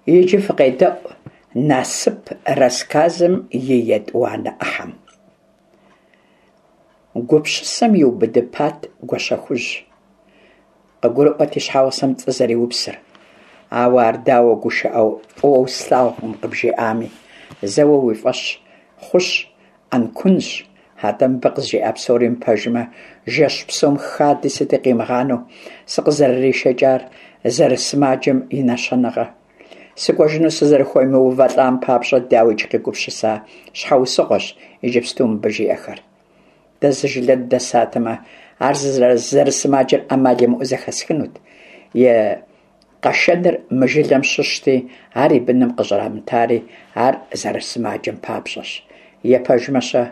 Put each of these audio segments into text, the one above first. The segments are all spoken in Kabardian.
Иджы фыкъедэӏу «Насып» рассказым и етӏуанэ ӏыхьэм. Гупсысэм иубыдыпат Гуащэхужь. Къыгурыӏуэрт и щхьэгъусэм пцӏы зэриупсыр. Ауэ ар дауэ гушыӏэу фӏыуэ услъагъукъым къыбжиӏами, зэуэ уи фӏэщ хъущ, ӏэнкунщ. Атӏэ мыбы къызжиӏа псори мыпэжмэ, жэщ псом хади сыти къимыгъанэу сыкъызэрыришэкӏар зэрысымаджэм и нэщэнэгъэ. Сыкӏуэжыну сызэрыхуемыувэлӏам папщӏэ, дауикӏ, къигупсыса щхьэусыгъуэщ иджыпсту мыбы жиӏэхэр. Дэ зы жылэ дыдэсатэмэ, ар зэрысымаджэр ӏэмал имыӏэу зэхэсхынут. И къэшэныр мы жылэм щыщти, ар и быным къыщӏрамытари ар зэрысымаджэм папщӏэщ. Е пэжмэ-щэ,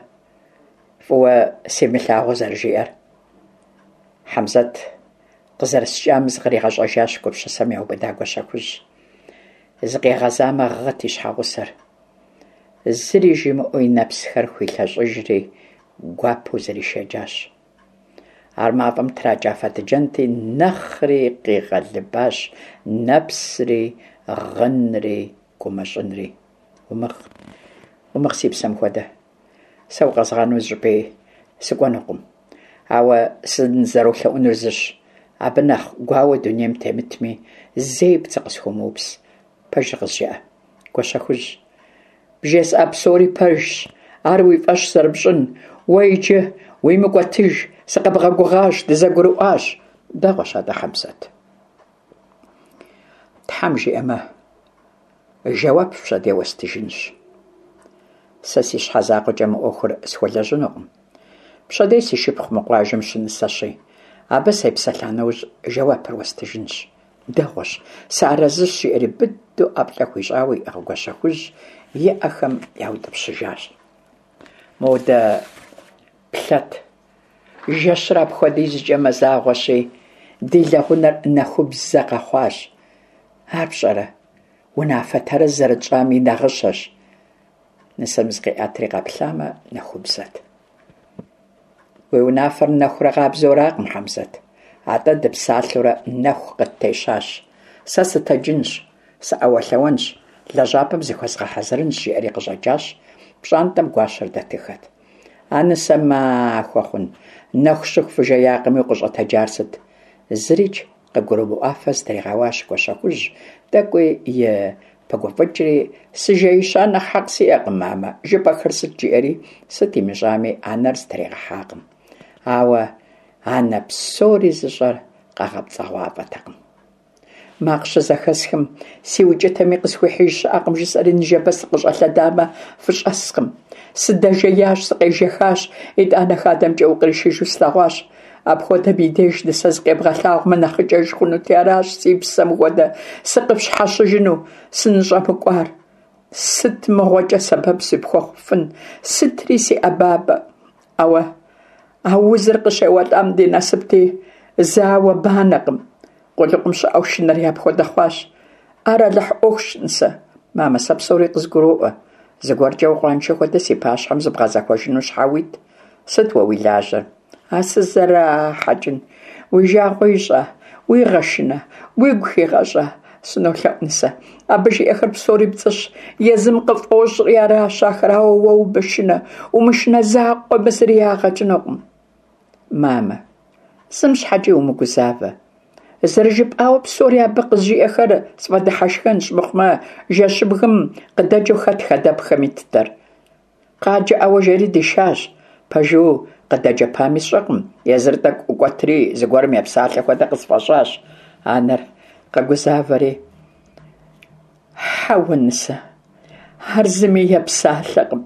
фӏыуэ симылъагъуу зэрыжиӏэр? Хьэмзэт къызэрыскӏам зыкъригъэщӏэжащ гупсысэм яубыда Гуащэхужь. Зыкъигъэзамэ, гъыт и щхьэгъусэр. Зыри жимыӏэу и нэпсхэр хуилъэщӏыжри, гуапэу зришэкӏащ. Ар мафӏэм тракӏа фэтыджэнти, нэхъри къигъэлыбащ нэпсри, гъынри, гумэщӏынри. Умыгъ, умыгъ си псэм хуэдэ. Сэ укъэзгъанэу зыщӏыпӏи сыкӏуэнукъым. Ауэ сынызэролъэӏунур зыщ, абы нэхъ гуауэ дунейм темытми, зэи пцӏы къысхуумыупс. Пэжыр къызжыӏэ, Гуащэхужь. Бжесӏа псори пэжщ, ар уи фӏэщ зэрыпщӏын. Уэ иджы уимыкӏуэтыж, сыкъэбгъэгугъащ, дызэгурыӏуащ. Дэгъуэщ атӏэ, Хьэмзэт. Тхьэм жиӏэмэ, жэуап пщэдей уэстыжынщ. Сэ си щхьэ закъуэкӏэ мы ӏуэхур схуэлэжьынукъым. Пщэдей си шыпхъу мы къуажэм щынысэщи, абы сепсэлъа нэужь жэуапыр уэстыжынщ. Дэгъуэщ, сыарэзыщ, жиӏэри быдэу ӏэплӏэ хуищӏауэ иӏыгъ Гуащэхужь и ӏэхэм яутӏыпщыжащ. Модэ плъэт, жэщыр апхуэдизкӏэ мазагъуэщи, ди лэгъунэр нэхубзэ къэхъуащ. Ар пщӏэрэ, унафэ тэрэз зэрытщӏам и нагъыщэщ. Нысэм зыкъиӏэтри къэплъамэ, нэхубзэт. Уи унафэр нэхурэ къабзэу аракъым, Хьэмзэт, атӏэ дыпсалъэурэ нэху къыттещащ. Сэ сытэджынщ, сыӏэуэлъэуэнщ, лэжьапӏэм зыхуэзгъэхьэзырынщ, жиӏэри къыщӏэкӏащ, пщӏантӏэм гуащэр дэтыххэт. А нысэ махуэ хъун, нэху щыху фыжеякъыми укъыщӏэтэджар сыт? Зырикӏ къыгурымыӏуафэ зытригъэуащ Гуащэхужь, тӏэкӏуи и пыгуфӏыкӏри, сыжеища нэхъ хьэкъ сиӏэкъым, мамэ, жыпӏэхэр сыт жиӏэри, сыт имыщӏами, анэр зытригъэхьакъым. Ауэ анэ псори зыщӏэр къэгъэпцӏэгъуафӏэтэкъым. Макъ щызэхэсхым, си укӏытэми къысхуихьыж щыӏэкъым, жысӏэри ныжэбэ сыкъыщӏэлъэдамэ, фыщӏэскъым. Сыдэжеящ, сыкъежэхащ, итӏанэ хадэмкӏэ укъришыжу слъэгъуащ. Апхуэдэм и деж нысэ зыкъебгъэлъагъумэ нэхъыкӏэж хъунути, аращ си псэм хуэдэ сыкъыпщхьэщыжыну сыныщӏэмыкӏуар. Сыт мыгъуэкӏэ сэбэп сыпхуэхъуфын, сытри си ӏэбабэ. Ауэ а узыр къыщеуэлӏам ди насыпти, зауэ банэкъым. Къулыкъум щыӏэу шынэри апхуэдэ хъуащ. Ар Алыхь ӏуэхущ, нысэ. Мамэ, сэ псори къызгуроӏуэ. Зыгуэркӏэ укъуаншэ хуэдэ си пащхьэм зыбгъэзэхуэжыну щхьэ уит? Сыт уэ уи лажьэр? А сызэрахьэкӏын, уи жагъуэ ищӏа, уигъэшынэ, уигу хигъэщӏа? Сынолъэӏу, нысэ. Абы жиӏэхэр псори пцӏыщ, езым къыфӏощӏри аращ ахэр, ауэ уэ умышынэ, умышынэ закъуэмэ зыри ягъэ кӏынукъым. Мамэ, зым щхьэкӏи умыгузавэ. Зэрыжыпӏауэ псори абы къызжиӏэхэр сфӏэдыхьэшхэнщ, мыхъумэ жэщыбгым къыдэкӏыу хэт хадэпхэм иттэр? Къаджэ ӏэуэ жери дишащ. Пэжу къыдэджэпами сщӏэкъым, езыр тӏэкӏу ӏукӏуэтри зыгуэрым епсалъэ хуэдэ къысфӏэщӏащ. Анэр къэгузавэри, Хьэуэ, нысэ, ар зыми епсалъэкъым.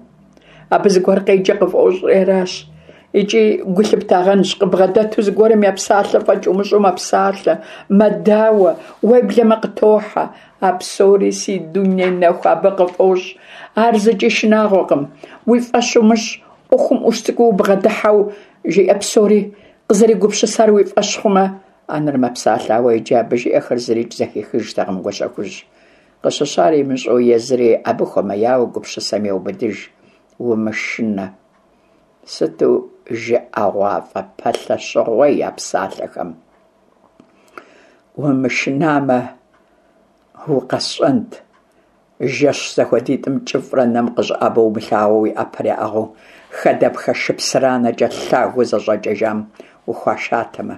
Абы зыгуэр къеджэ къыфӏощӏри аращ. Икӏи гу лъыптагъэнщ, къыбгъэдэту зыгуэрым епсалъэ фӏэкӏ умыщӏэу мэпсалъэ, мэдауэ, уеблэмэ къытохьэ. А псори си дуней нэху абы къыфӏощӏ. Ар зыкӏи шынагъуэкъым. Уи фӏэщ умыщӏ, ӏуэхум ӏущ цӏыкӏуу убгъэдыхьэу жиӏэ псори къызэригупсысар уи фӏэщ хъумэ, анэр мэпсалъэ, ауэ иджы абы жиӏэхэр зырикӏ зэхихыжтэкъым Гуащэхужь. Къыщыщӏар имыщӏэу езыри абы хуэмеяуэ гупсысэм еубыдыж. Умышынэ. Сыту жыӏэгъуафӏэ пэлъэщыгъуей а псалъэхэм. Умышынамэ, укъэсщӏэнт. Жэщ зэхуэдитӏым кӏыфӏрэ нэм къыщӏэӏэбэу умылъагъуу уи ӏэпэр яӏыгъыу хадэпхэ шыпсыранэкӏэ лъагэу зэщӏэкӏэжам ухуашатэмэ,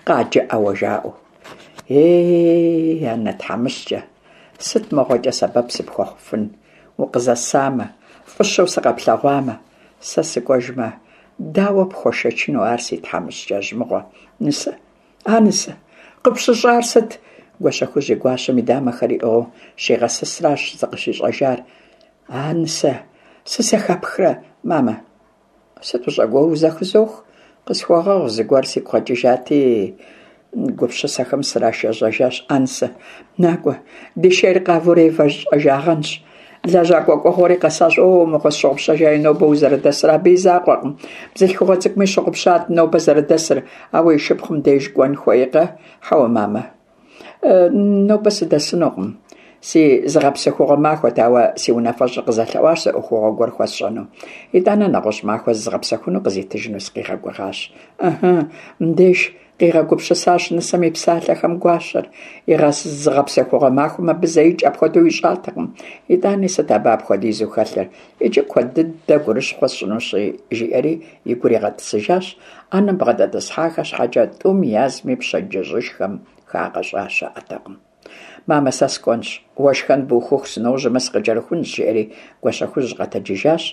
къаджэ ӏэуэ жаӏэу. Ей, анэ тхьэмыщкӏэ, сыт мыгъуэкӏэ сэбэп сыпхуэхъуфын, укъызэсамэ, фӏыщэу сыкъэплъэгъуамэ, сэ сыкӏуэжмэ, дауэ пхуэшэчыну ар си тхьэмыщкӏэжь мыгъуэ, нысэ? А нысэ, къыпщыщӏар сыт? Гуащэхужь и гуащэм и дамэхэр иӏыгъыу щигъэсысращ зыкъыщищӏэжар. А нысэ, сызэхэпхрэ, мамэ? Сыт ущӏэгуоур, узэхызох? Къысхуэгъэгъу, зыгуэр сигу къэкӏыжати, гупсысэхэм срашэжьэжащ. А нысэ, накӏуэ, ди шейр къавэурэ евэщӏэжагъэнщ. Лэжьакӏуэ кӏуэгъуэри къэсащ. О, мыгъуэ, сщыгъупщэжаи нобэ узэрыдэсыр. Абы и закъуэкъым. Бзылъхугъэ цӏыкӏуми щыгъупщат нобэ зэрыдэсыр, ауэ и шыпхъум деж кӏуэн хуейкъэ? Хьэуэ, мамэ. Нобэ сыдэсынукъым. Си зыгъэпсэхугъуэ махуэт, ауэ си унафэщӏыр къызэлъэӏуащ зы ӏуэхугъуэ гуэр хуэсщӏэну. Итӏанэ нэгъуэщӏ махуэ зызгъэпсэхуну къызитыжыну сыкъигъэгугъащ. Ыхьы, мыбдеж къигъэгупсысащ нысэм и псалъэхэм гуащэр. И зыгъэпсэхугъуэ махуэм абы зэикӏ апхуэдэу ищӏатэкъым. Итӏани сыт абы апхуэдизу хэлъыр? Иджы куэд дыдэ гурыщхъуэ сщӏынущи, жиӏэри и гур игъэтӏысыжащ. ӏэнэм бгъэдэтӏысхьахэ щхьэкӏэ тӏум язми пщэдджыжьышхэм хагъэщӏа щыӏэтэкъым. Мамэ, сэ сыкӏуэнщ, уэ шхэн бухыху сыножьэмэ сыкъыкӏэрыхунщ, жиӏэри Гуащэхужь къэтэджыжащ,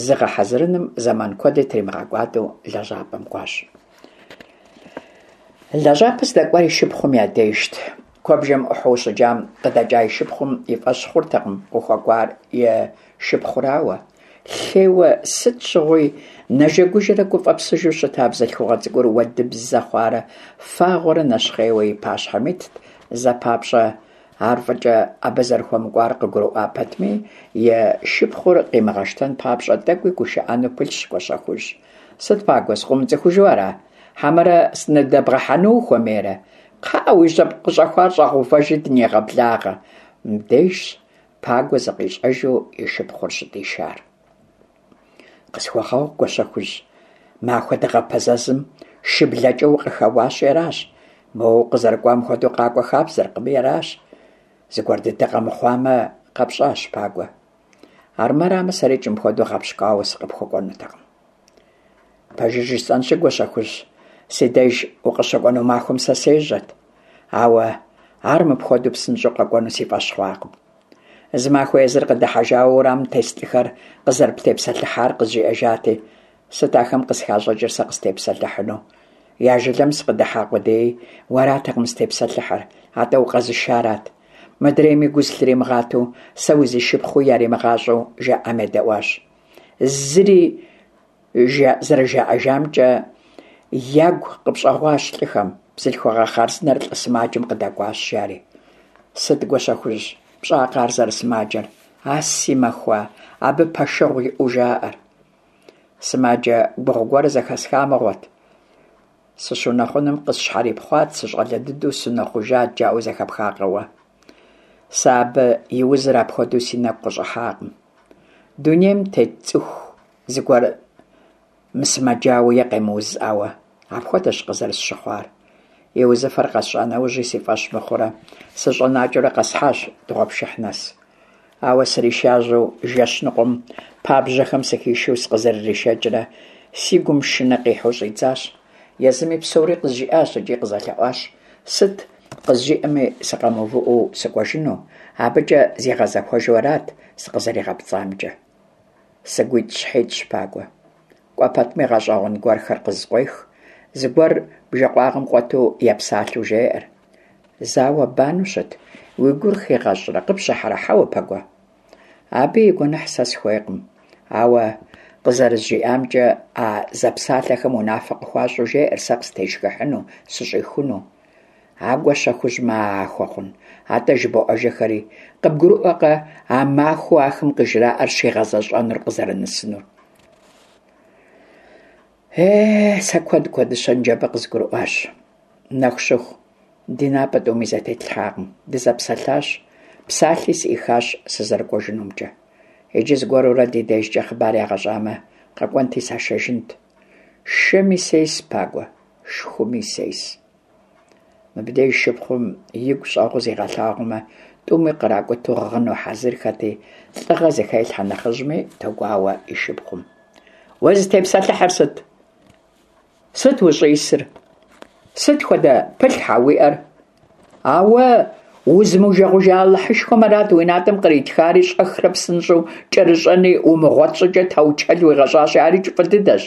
зыгъэхьэзырыным зэман куэди тримыгъэкӏуадэу лэжьапӏэм кӏуащ. Лэжьапӏэ здэкӏуар и шыпхъум я дежт. Куэбжэм ӏухьэу щыджам къыдэкӏа и шыпхъум и фӏэщ хъуртэкъым къыхуэкӏуар и шыпхъурауэ. Лъейуэ сыт щыгъуи нэжэгужэрэ гуфӏэпсыжу щыта бзылъхугъэ цӏыкӏур уэдыбзэ хъуарэ фагъуэрэ нэщхъейуэ и пащхьэм итт, зэ папщӏэ ар фӏыкӏэ абы зэрыхуэмыкӏуар къыгурыӏуа пэтми, и шыпхъур къимыгъэщтэн папщӏэ тӏэкӏуи гушыӏэну пылъщ Гуащэхужь. Сыт, Пагуэ, сыкъыумыцӏыхужу ара? Хьэмэрэ сыныдэбгъэхьэну ухуэмейрэ? Кхъыӏэ, уи жьэпкъ къыщӏэхуар щӏэгъэувэжи дынегъэблагъэ. Мыбдежщ Пагуэ зыкъищӏэжу и шыпхъур щыдишар. Къысхуэгъэгъу, Гуащэхужь, махуэ дыгъэпэзэзым шыблэкӏэ укъыхэуащи аращ. Моуэ укъызэрыкӏуам хуэдэу къакӏуэ хабзэркъыми аращ. Зыгуэр дыдэ къэмыхъуамэ, къэпщӏащ, Пагуэ. Армырамэ, сэрикӏ мыпхуэдэу гъэпщкӏуауэ сыкъыпхуэкӏуэнутэкъым. Пэжыр жысӏэнщи, Гуащэхужь, си деж укъыщыкӏуэну махуэм сэ сежьэт, ауэ ар мыпхуэдэу псынщӏэу къэкӏуэну си фӏэщ хъуакъым. Зы махуэ езыр къыдыхьэжауэ уэрамым тес лӏыхэр къызэрыптепсэлъыхьар къызжиӏэжати, сыт ахэм къысхащӏыкӏыр сэ къыстепсэлъыхьыну? Я жылэм сыкъыдыхьа къудеи, уэратэкъым зытепсэлъыхьыр, атӏэ укъэзышарат. Мыдрейми гу зылъримыгъатэу, сэ узишыпхъуи яримыгъащӏэу жаӏам едэӏуащ. Зыри зэрыжаӏэжамкӏэ ягу къыпщӏэгъуащ лӏыхэм, бзылъхугъэ хъарзынэр лӏы сымаджэм къыдэкӏуащ, жари. Сыт, Гуащэхужь, пщӏакъэ ар зэрысымаджэр? А си махуа, абы пэшэгъу иӏэу жаӏэр. Сымаджэ гугъу гуэр зэхэсха мыгъуэт. Сыщунэхъуным къысщхьэрипхъуат, сыщӏалэ дыдэу сунэхъужат, жаӏэу зэхэпхакъэ уэ? Сэ абы и узыр апхуэдэу си нэгу къыщӏыхьакъым. Дунейм тет цӏыху зыгуэр мысымэджауэ е къемыузӏауэ, апхуэдэщ къызэрысщыхъуар. И узыфэр къэсщӏа нэужьи си фӏэщ мыхъурэ, сыщӏэнакӏэурэ къэсхьащ дыгъуэпшыхь нэс. Ауэ сришажьэу жэщ ныкъуэм пабжьэхэм сыхишэу сыкъызэрыришэкӏрэ, си гум шынэ къихьэу щӏидзащ. Езыми псори къызжиӏащ икӏи къызэлъэӏуащ сыт къызжиӏэми сыкъэмыувыӏэу сыкӏуэжыну, абыкӏэ зигъэзэхуэжу арат сыкъызэригъэпцӏамкӏэ. Сыгуитӏщхьитӏщ, Пагуэ. Кӏуэ пэтми гъэщӏэгъуэн гуэрхэр къызкъуех, зыгуэр бжэкъуагъым къуэту епсалъэу жеӏэр. Зауэ-банэу щыт, уи гур хигъэщӏрэ къыпщыхьэрэ, хьэуэ, Пагуэ? Абы и гуэныхь сэ сыхуейкъым, ауэ къызэрызжиӏамкӏэ а зэпсалъэхэм унафэ къыхуащӏу жеӏэр сэ къыстешхыхьыну, сыщӏихуну. А Гуащэхужь махуэ хъун, атӏэ жыбоӏэжыхэри, къыбгурыӏуэкъэ а махуэу ахэм къыжраӏэр щигъэзэщӏэнур къызэрынэсынур? Е, сэ куэд куэдыщэ ныджэбэ къызгурыӏуащ. Нэху щыху, ди напӏэ тӏуми зэтетлъхьакъым, дызэпсэлъащ, псалъи сӏихащ сызэрыкӏуэжынумкӏэ. Иджы зыгуэрурэ ди дежкӏэ хъыбар ягъэщӏамэ, къэкӏуэнти сашэжынт. Шэми сес, Пагуэ, шхуми сес. Мыбдеж шыпхъум игу щӏэгъуу зигъэлъагъумэ, Тӏуми къракӏуту гъыну хьэзырхэти, лӏыгъэ зыхелъхьэ нэхъыжьми тогуауэ и шыпхъум. Узытепсэлъыхьыр сыт? Сыт ущӏисыр? Сыт хуэдэ пылъхьэ уиӏэр? Ауэ узымыужэгъужа Алыхьышхуэм арат уи натӏэм къритхари, щӏэхрэ псынщӏэу кӏэрыщӏэни умыгъуэт щӏыкӏэ таучэл уигъэщӏащи, арикӏ фӏы дыдэщ.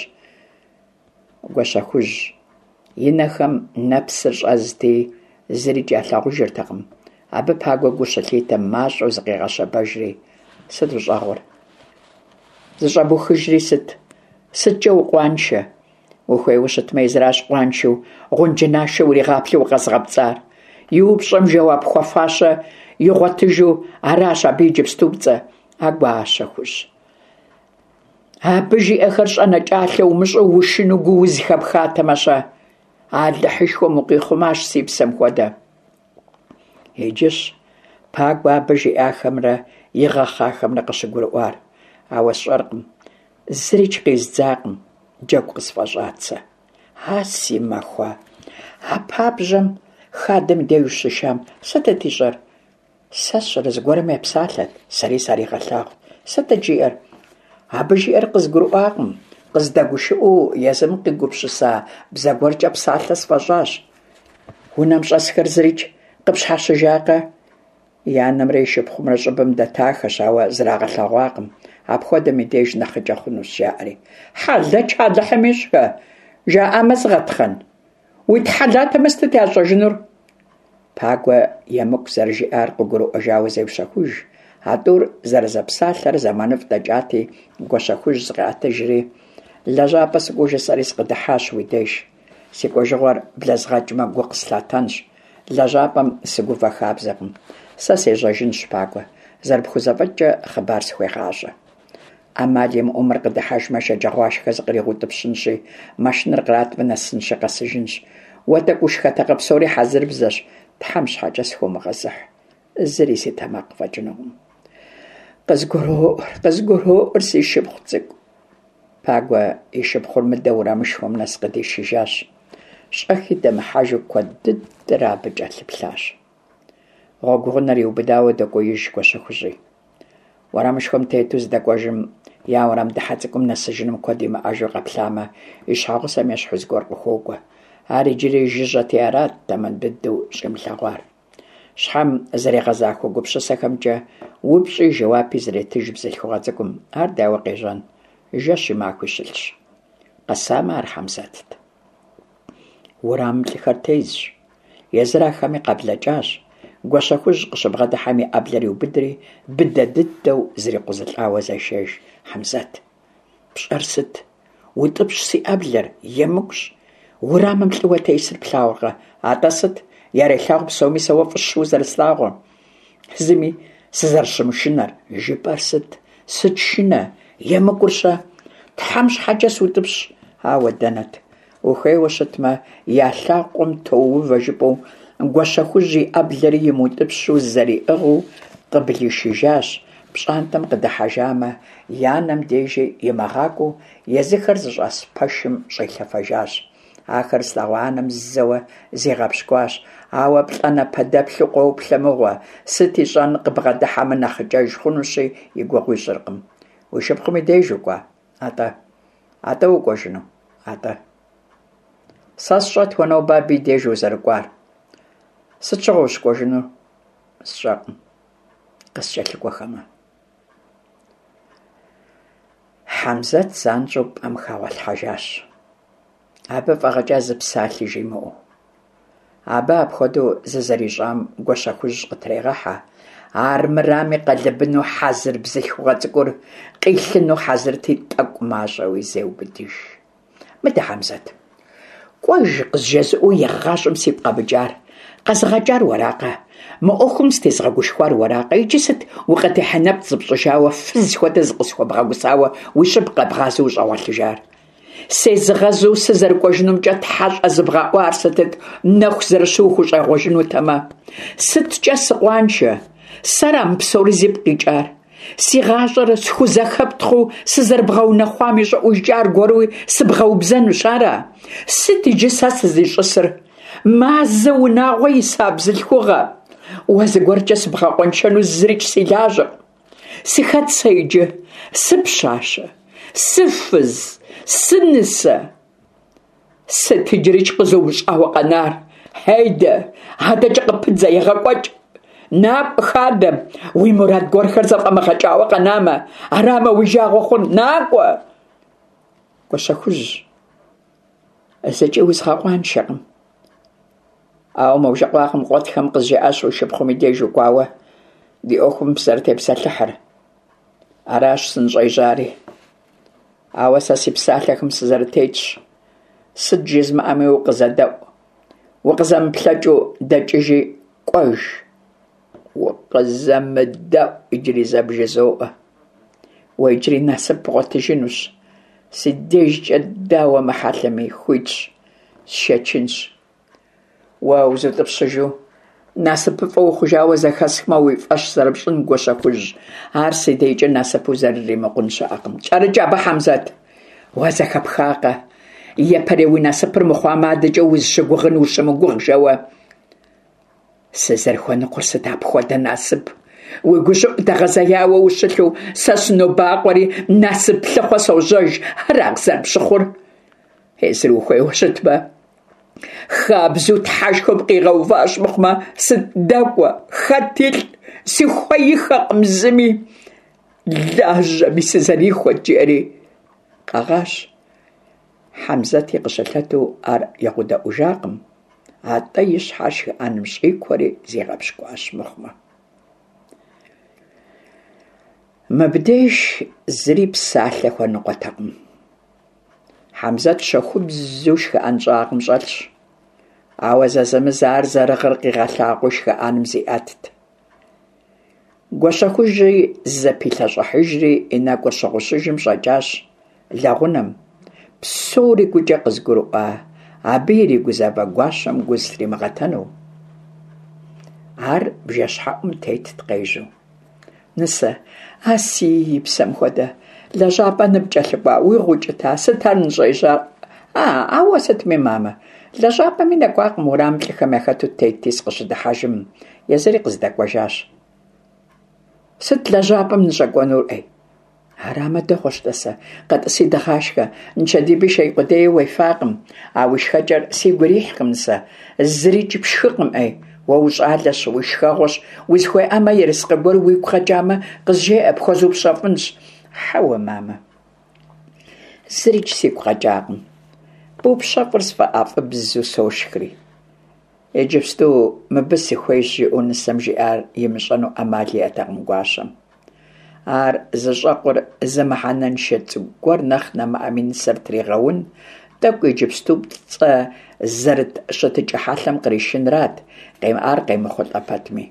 Гуащэхужь и нэхэм нэпсыр щӏэзти, зырикӏ ялъагъужыртэкъым. Абы Пагуэ гу щылъитэм, мащӏэу зыкъигъэщэбэжри, сыт ущӏэгъыр? Зыщӏэбухыжри сыт? Сыткӏэ укъуаншэ? Ухуейуэ щытмэ, езыращ къуаншэу, гъунджынашэ уригъаплъэу укъэзыгъэпцӏар. И упщӏэм жэуап хуэфащэ игъуэтыжу аращ абы иджыпступцӏэ. А Гуащэхужь. Абы жиӏэхэр щӏэнэкӏалъэ умыщӏу ушынэу гууз хэпхатэмэ-щэ? Алыхьышхуэм укъихъумащ си псэм хуэдэ. Иджыщ Пагуэ абы жиӏахэмрэ игъэхъахэмрэ къыщыгурыӏуар. Ауэ сщӏэркъым, зырикӏ къиздзакъым, джэгу къысфӏэщӏат сэ. А си махуэ, а пабжьэм хадэм деж ущишам сытыт ищӏэр? Сэ сщӏэрэ зыгуэрым епсалъэт, сэри саригъэлъагъут. Сытыт жиӏэр? Абы жиӏэр къызгурыӏуакъым, къыздэгушыӏэу езым къигупсыса бзэ гуэркӏэ псалъэ сфӏэщӏащ. Унэм щӏэсхэр зырикӏ къыпщхьэщыжакъэ? И анэмрэ и шыпхъумрэ щӏыбым дэтахэщ, ауэ зрагъэлъэгъуакъым. Апхуэдэм и деж нэхъыкӏэ хъунущ, жаӏэри. Хьэлэч Алыхьым ищӏхэ, жаӏамэ згъэтхъэн. Уитхьэлатэмэ сытыт ящӏэжынур? Пагуэ емыкӏу зэрыжиӏар къыгурыӏуэжауэ зеущэхуж. А тӏур зэрызэпсалъэрэ зэманыфӏ дэкӏати, Гуащэхужь зыкъеӏэтыжри, лэжьапӏэ сыкӏуэу жысӏэри сыкъыдыхьащ уи деж. Си кӏуэжыгъуэр блэзгъэкӏмэ, гу къыслъатэнщ. Лэжьапӏэм сыгувэ хабзэкъым. Сэ сежьэжынщ, Пагуэ. Зэрыпхузэфӏэкӏкӏэ хъыбар схуегъащӏэ. Ӏэмал имыӏэу мыр къыдыхьэжмэ, шэджагъуашхэ зыкъригъэутӏыпщынщи, машинэр къратмэ, нэсынщи, къэсыжынщ. Уэ тӏэкӏу ушхэтэкъэ, псори хьэзырыбзэщ, Тхьэм щхьэкӏэ схыумыгъэзыхь. Зыри си тэмакъ фӏэкӏынукъым. Къызгуроӏуэр, къызгуроӏуэр, си шыпхъу цӏыкӏу. Пагуэ и шыпхъур мыдэ уэрамышхуэм нэс къыдишыжащ. Щӏэхи дэмыхьэжу куэд дыдэрэ абы кӏэлъыплъащ. Гъуэгу гъунэр иубыдауэ дэкӏуеиж Гуащэхужьи. Уэрамышхуэм тету зыдэкӏуэжым, я уэрам дыхьэ цӏыкӏум нэсыжыным куэд имыӏэжу къэплъамэ, и щхьэгъусэм ещхьу зыгуэр къыхуокӏуэ. Ар иджыри жыжьэти арат тэмэм дыдэу щӏимылъэгъуар. Щхьэм зэригъэзахуэ гупсысэхэмкӏэ упщӏи жэуапи зретыж бзылъхугъэ цӏыкӏум. Ар дауэ къежьэн? Жэщи махуи щылъщ. Къэсамэ, ар Хьэмзэтт. Уэрамым лӏыхэр тезщ. Езыр ахэми къаблэкӏащ. Гуащэхужь къыщыбгъэдыхьэм и ӏэблэр иубыдри, быдэ дыдэу зрикъузылӏауэ зешэж Хьэмзэт. Пщӏэр сыт? Утӏыпщ си ӏэблэр, емыкӏущ. Уэрамым лӏыуэ тесыр плъагъуркъэ? Атӏэ сыт? Ярелъагъу псоми сэ уэ фӏыщэу узэрыслъагъур. Зыми сызэрыщымышынэр. Жыпӏэр сыт? Сыт шынэ? Емыкӏур-щэ? Тхьэм щхьэкӏэ сутӏыпщ. Ауэ дэнэт? Ухуейуэ щытмэ, я лъакъуэм тоувэ жыпӏэу, Гуащэхужь и ӏэблэри имыутӏыпщу зэриӏыгъыу къыблишыжащ, пщӏантӏэм къыдыхьэжамэ, и анэм дежи имыгъакӏуэу езыхэр зыщӏэс пэшым щӏилъэфэжащ. Ахэр зылъэгъуа анэм зэуэ зигъэпщкӏуащ, ауэ плӏанэпэдэплъу къоплъэ мыгъуэ, сыт ищӏэн, къыбгъэдыхьэмэ нэхъыкӏэж хъунущи, и гугъу ищӏыркъым. Уи шыпхъум и деж укӏуа? Атӏэ. Атӏэ укӏуэжыну? Атӏэ. Сэ сщӏэт уэ нобэ абы и деж узэрыкӏуар. Сыт щыгъуэ ущыкӏуэжынур? Сщӏэкъым. Къыскӏэлъыкӏуэхэмэ. Хьэмзэт занщӏэу пӏэм хэгъуэлъхьэжащ. Абы фӏэгъэкӏа зы псалъи жимыӏэу. Абы апхуэдэу зызэрищӏам Гуащэхужь къытрегъэхьэ. Армырами къэлыбыну хьэзыр бзылъхугъэ цӏыкӏур къилъыну хьэзырти, тӏэкӏу мащӏэуи зеубыдыж. Мыдэ, Хьэмзэт, кӏуэж къызжезыӏэу игъащӏэм сигу къэмыкӏар, къэзыгъэкӏар уэракъэ? Мы ӏуэхум сытезгъэгушхуар уэракъэ? Иджы сыт укъытехьэ нэпцӏ зыпщӏыжауэ, фыз хуэдэ зыкъысхуэбгъэгусауэ уи щӏыб къэбгъазэу ущӏэгъуэлъыжар? Сезыгъэзу сызэрыкӏуэжынумкӏэ тхьэ щӏэзыбгъэӏуар сытыт, нэху зэрыщу ухущӏегъуэжынутэмэ? Сыткӏэ сыкъуаншэ? Сэра мы псори зипкъ къикӏар? Си гъащӏэр схузэхэптхъуу сызэрыбгъэунэхъуам и щӏыӏужкӏэ аргуэруи сыбгъэубзэнущ, ара? Сыт иджы сэ сызищӏысыр? Мазэ унагъуэ иса бзылъхугъэ! Уэ зыгуэркӏэ сыбгъэкъуэншэну зырикӏ си лажьэкъым. Сыхэт сэ иджы? Сыпщащэ? Сыфыз? Сынысэ? Сыт иджырикӏ къызумыщӏауэ къэнар? Хьейдэ, адэкӏэ къыпыдзэ, егъэкӏуэкӏ. Накӏуэ хадэм, уи мурад гуэрхэр зэфӏэмыгъэкӏауэ къэнамэ, арамэ уи жагъуэ хъун, накӏуэ! Гуащэхужь, зыкӏи узгъэкъуаншэкъым. Ауэ мо бжэкъуагъым къуэтхэм къызжаӏащ уи шыпхъум и деж укӏуауэ ди ӏуэхум фызэрытепсэлъыхьыр. Аращ сыныщӏежьари. Ауэ сэ си псалъэхэм сызэрытетщ. Сыт жызмыӏэми укъызэдэӏу, укъызэмыплъэкӏыу дэкӏыжи кӏуэж. Укъызэмыдэӏу иджыри зэ бжызоӏэ. Уэ иджыри насып бгъуэтыжынущ. Си дежкӏэ дауэ мыхьэлъэми, хуитщ, сшэчынщ. Уэ узутӏыпщыжу, насыпыфӏэ ухъужауэ зэхэсхмэ, уи фӏэщ зэрыпщӏын, Гуащэхужь, ар си дежкӏэ насыпу зэрыримыкъун щыӏэкъым. Кӏэрыкӏ абы, Хьэмзэт! Уэ зэхэпхакъэ? Япэрей уи насыпыр мыхъуамэ, адэкӏэ узыщыгугъын ущымыгугъ жэуэ. Сызэрыхуэныкъуэр сыт апхуэдэ насып? Уи гущӏыӏу дэгъэзеяуэ ущылъу, сэ сынобакъуэри, насып лъыхъуэ сожьэж, ара къызэрыпщыхъур? Езыр ухуейуэ щытмэ, хабзэу Тхьэшхуэм къигъэуващ мыхъумэ, сыт дэкӏуэ, хэт илӏ, сыхуеихэкъым зыми. Лажьэми сызэрихуэт, жиӏэри къэгъащ. Хьэмзэти къыщылъэту ар егъудэӏужакъым, атӏэ и щхьэр шхыӏэным щӏикуэри зигъэпщкӏуащ мыхъумэ. Мыбдеж зыри псалъэ хуэныкъуэтэкъым. Хьэмзэт щэхубзу шхыӏэн щӏагъым щӏэлъщ, ауэ зэзэмызэ ар зэрыгъыр къигъэлъагъуэу шхыӏэным зиӏэтт. Гуащэхужьи зызэпилъэщӏыхьыжри и нэкӏур щыгъущыжым щӏэкӏащ лэгъунэм. Псори гукӏэ къызыгурыӏуа, абы иригузавэ гуащэм гу зылъримыгъэтэну. Ар бжэщхьэӏум тетт къежьэу. Нысэ, а си псэм хуэдэ, лэжьапӏэ ныпкӏэлъыкӏуа, уигу укӏыта, сыт ар ныщӏежьар? А, ауэ сытми, мамэ, лэжьапӏэми нэкӏуакъым, уэрамым лӏыхэм яхэту тетти, сыкъыщыдыхьэжым, езыри къыздэкӏуэжащ. Сыт лэжьапӏэм ныщӏэкӏуэнур, ӏей? Арамэ, дэгъуэщ, тӏасэ, къэтӏыси дыгъашхэ, нычэдиби шей къудеи уефакъым. А уи шхэкӏэр сигу ирихькъым, нысэ, зырикӏ пшхыкъым, ӏей. Уэ ущӏалэщ, уи шхэгъуэщ, узыхуейӏамэ, ерыскъы гуэр уигу къэкӏамэ, къызжеӏэ, пхуэзупщэфӏынщ. Хьэуэ, мамэ, зырикӏ сигу къэкӏакъым. Бупщэфӏыр сфӏэӏэфӏыбзу сошхри. Иджыпсту мыбы сыхуейщ, жиӏэу нысэм жиӏар имыщӏэну ӏэмал иӏэтэкъым гуащэм. Ар зыщӏэкъур зы мыхьэнэншэ цӏыкӏу гуэр нэхъ нэмыӏэми нысэр тригъэун, тӏэкӏу иджыпступцӏэ зэрыт щытыкӏэ хьэлъэм къришынрат, ар къемыхъулӏэ пэтми.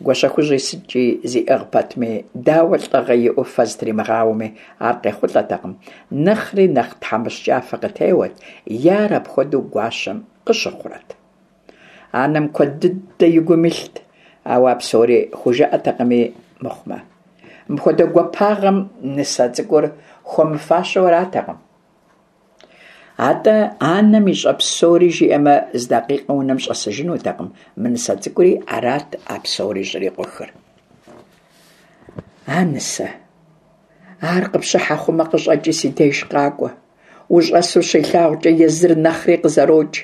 Гуащэхужьи сыткӏи зиӏыгъ пэтми, дауэ лӏыгъэ иӏэу фэ зытримыгъауэми, ар къехъулӏэтэкъым, нэхъри нэхъ тхьэмыщкӏафэ къытеуэт, е ар апхуэдэу гуащэм къыщыхъурэт. Анэм куэд дыдэ и гум илът, ауэ а псори хужыӏэтэкъыми мыхъумэ. Мыпхуэдэ гуапагъэм нысэ цӏыкӏур хуэмыфащэу аратэкъым. Атӏэ анэм ищӏэ псори жиӏэмэ, зы дакъикъэ унэм щӏэсыжынутэкъым, мы нысэ цӏыкӏури арат а псори щӏрикъухыр. А нысэ, ар къыпщыхьэ хъумэ къыщӏэкӏи си деж къакӏуэ. Ущӏэсу щилъагъукӏэ езыр нэхъри къызэрокӏ.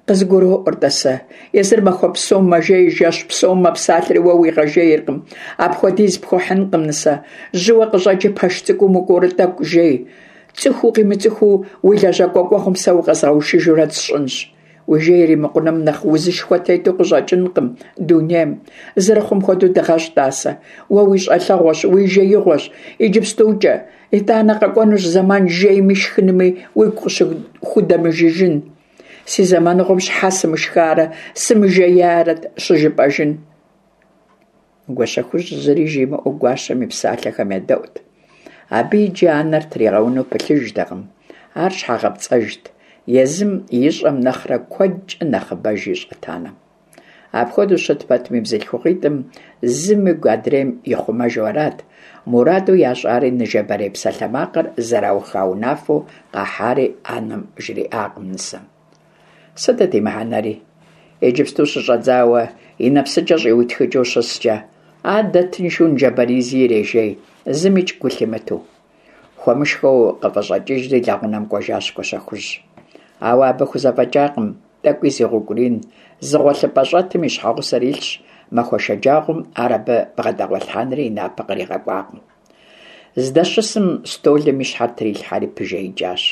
Къызгуроӏуэр, тӏасэ, езыр махуэ псом мэжей, жэщ псом мэпсалъэри уэ уигъэжейркъым. Апхуэдиз пхуэхьынкъым, нысэ. Жьыуэ къыщӏэкӏи пэш цӏыкӏум укӏуэурэ тӏэкӏу жей. Цӏыху укъимыцӏыхуу уи лэжьакӏуэ кӏуэгъум сэ укъэзгъэушыжурэ сщӏынщ. Уи жей иримыкъуным нэхъ узышхуэ тету къыщӏэкӏынкъым дунейм. Зэрыхъум хуэдэу дыгъэщӏ, тӏасэ. Уэ уи щӏалэгъуэщ, уи жеигъуэщ иджыпстукӏэ. Итӏанэ къэкӏуэнущ зэман жейми шхынми уигу къыщыхудэмыжыжын. Си зэманыгъуэм щхьэ сымышхарэ, сымыжеярэт щыжыпӏэжын. Гуащэхужь зыри жимыӏэу гуащэм и псалъэхэм едэӏут. Абы иджы анэр тригъэуну пылъыжтэкъым, ар щхьэгъэпцӏэжт, езым ищӏэм нэхърэ куэдкӏэ нэхъыбэж ищӏэт анэм. Апхуэдэу щыт пэтми, бзылъхугъитӏым зым игу адрейм ихъумэжу арат, мураду ящӏари ныжэбэрей псалъэмакъыр зэрауха унафэу къахьари анэм жриӏакъым нысэм. Сытыт и мыхьэнэри? Иджыпсту щыщӏэдзауэ и нэпсыкӏэ щӏиутхыкӏыу щыскӏэ, адэ тыншу ныжэбэризи ирежей, зымикӏ гу лъимытэу. Хуэмышхэу къыфӏыщӏэкӏыжри лэгъунэм кӏуэжащ Гуащэхужь. Ауэ абы хузэфӏэкӏакъым тӏэкӏуи зигъэукӏурин, зы гъуэлъыпӏэ щӏэтым и щхьэгъусэр илъщ, махуэ шэджагъуэм ар абы бгъэдэгъуэлъхьэнри и напэ къригъэкӏуакъым. Здэщысым стӏолым и щхьэр трилъхьэри пыжеикӏащ.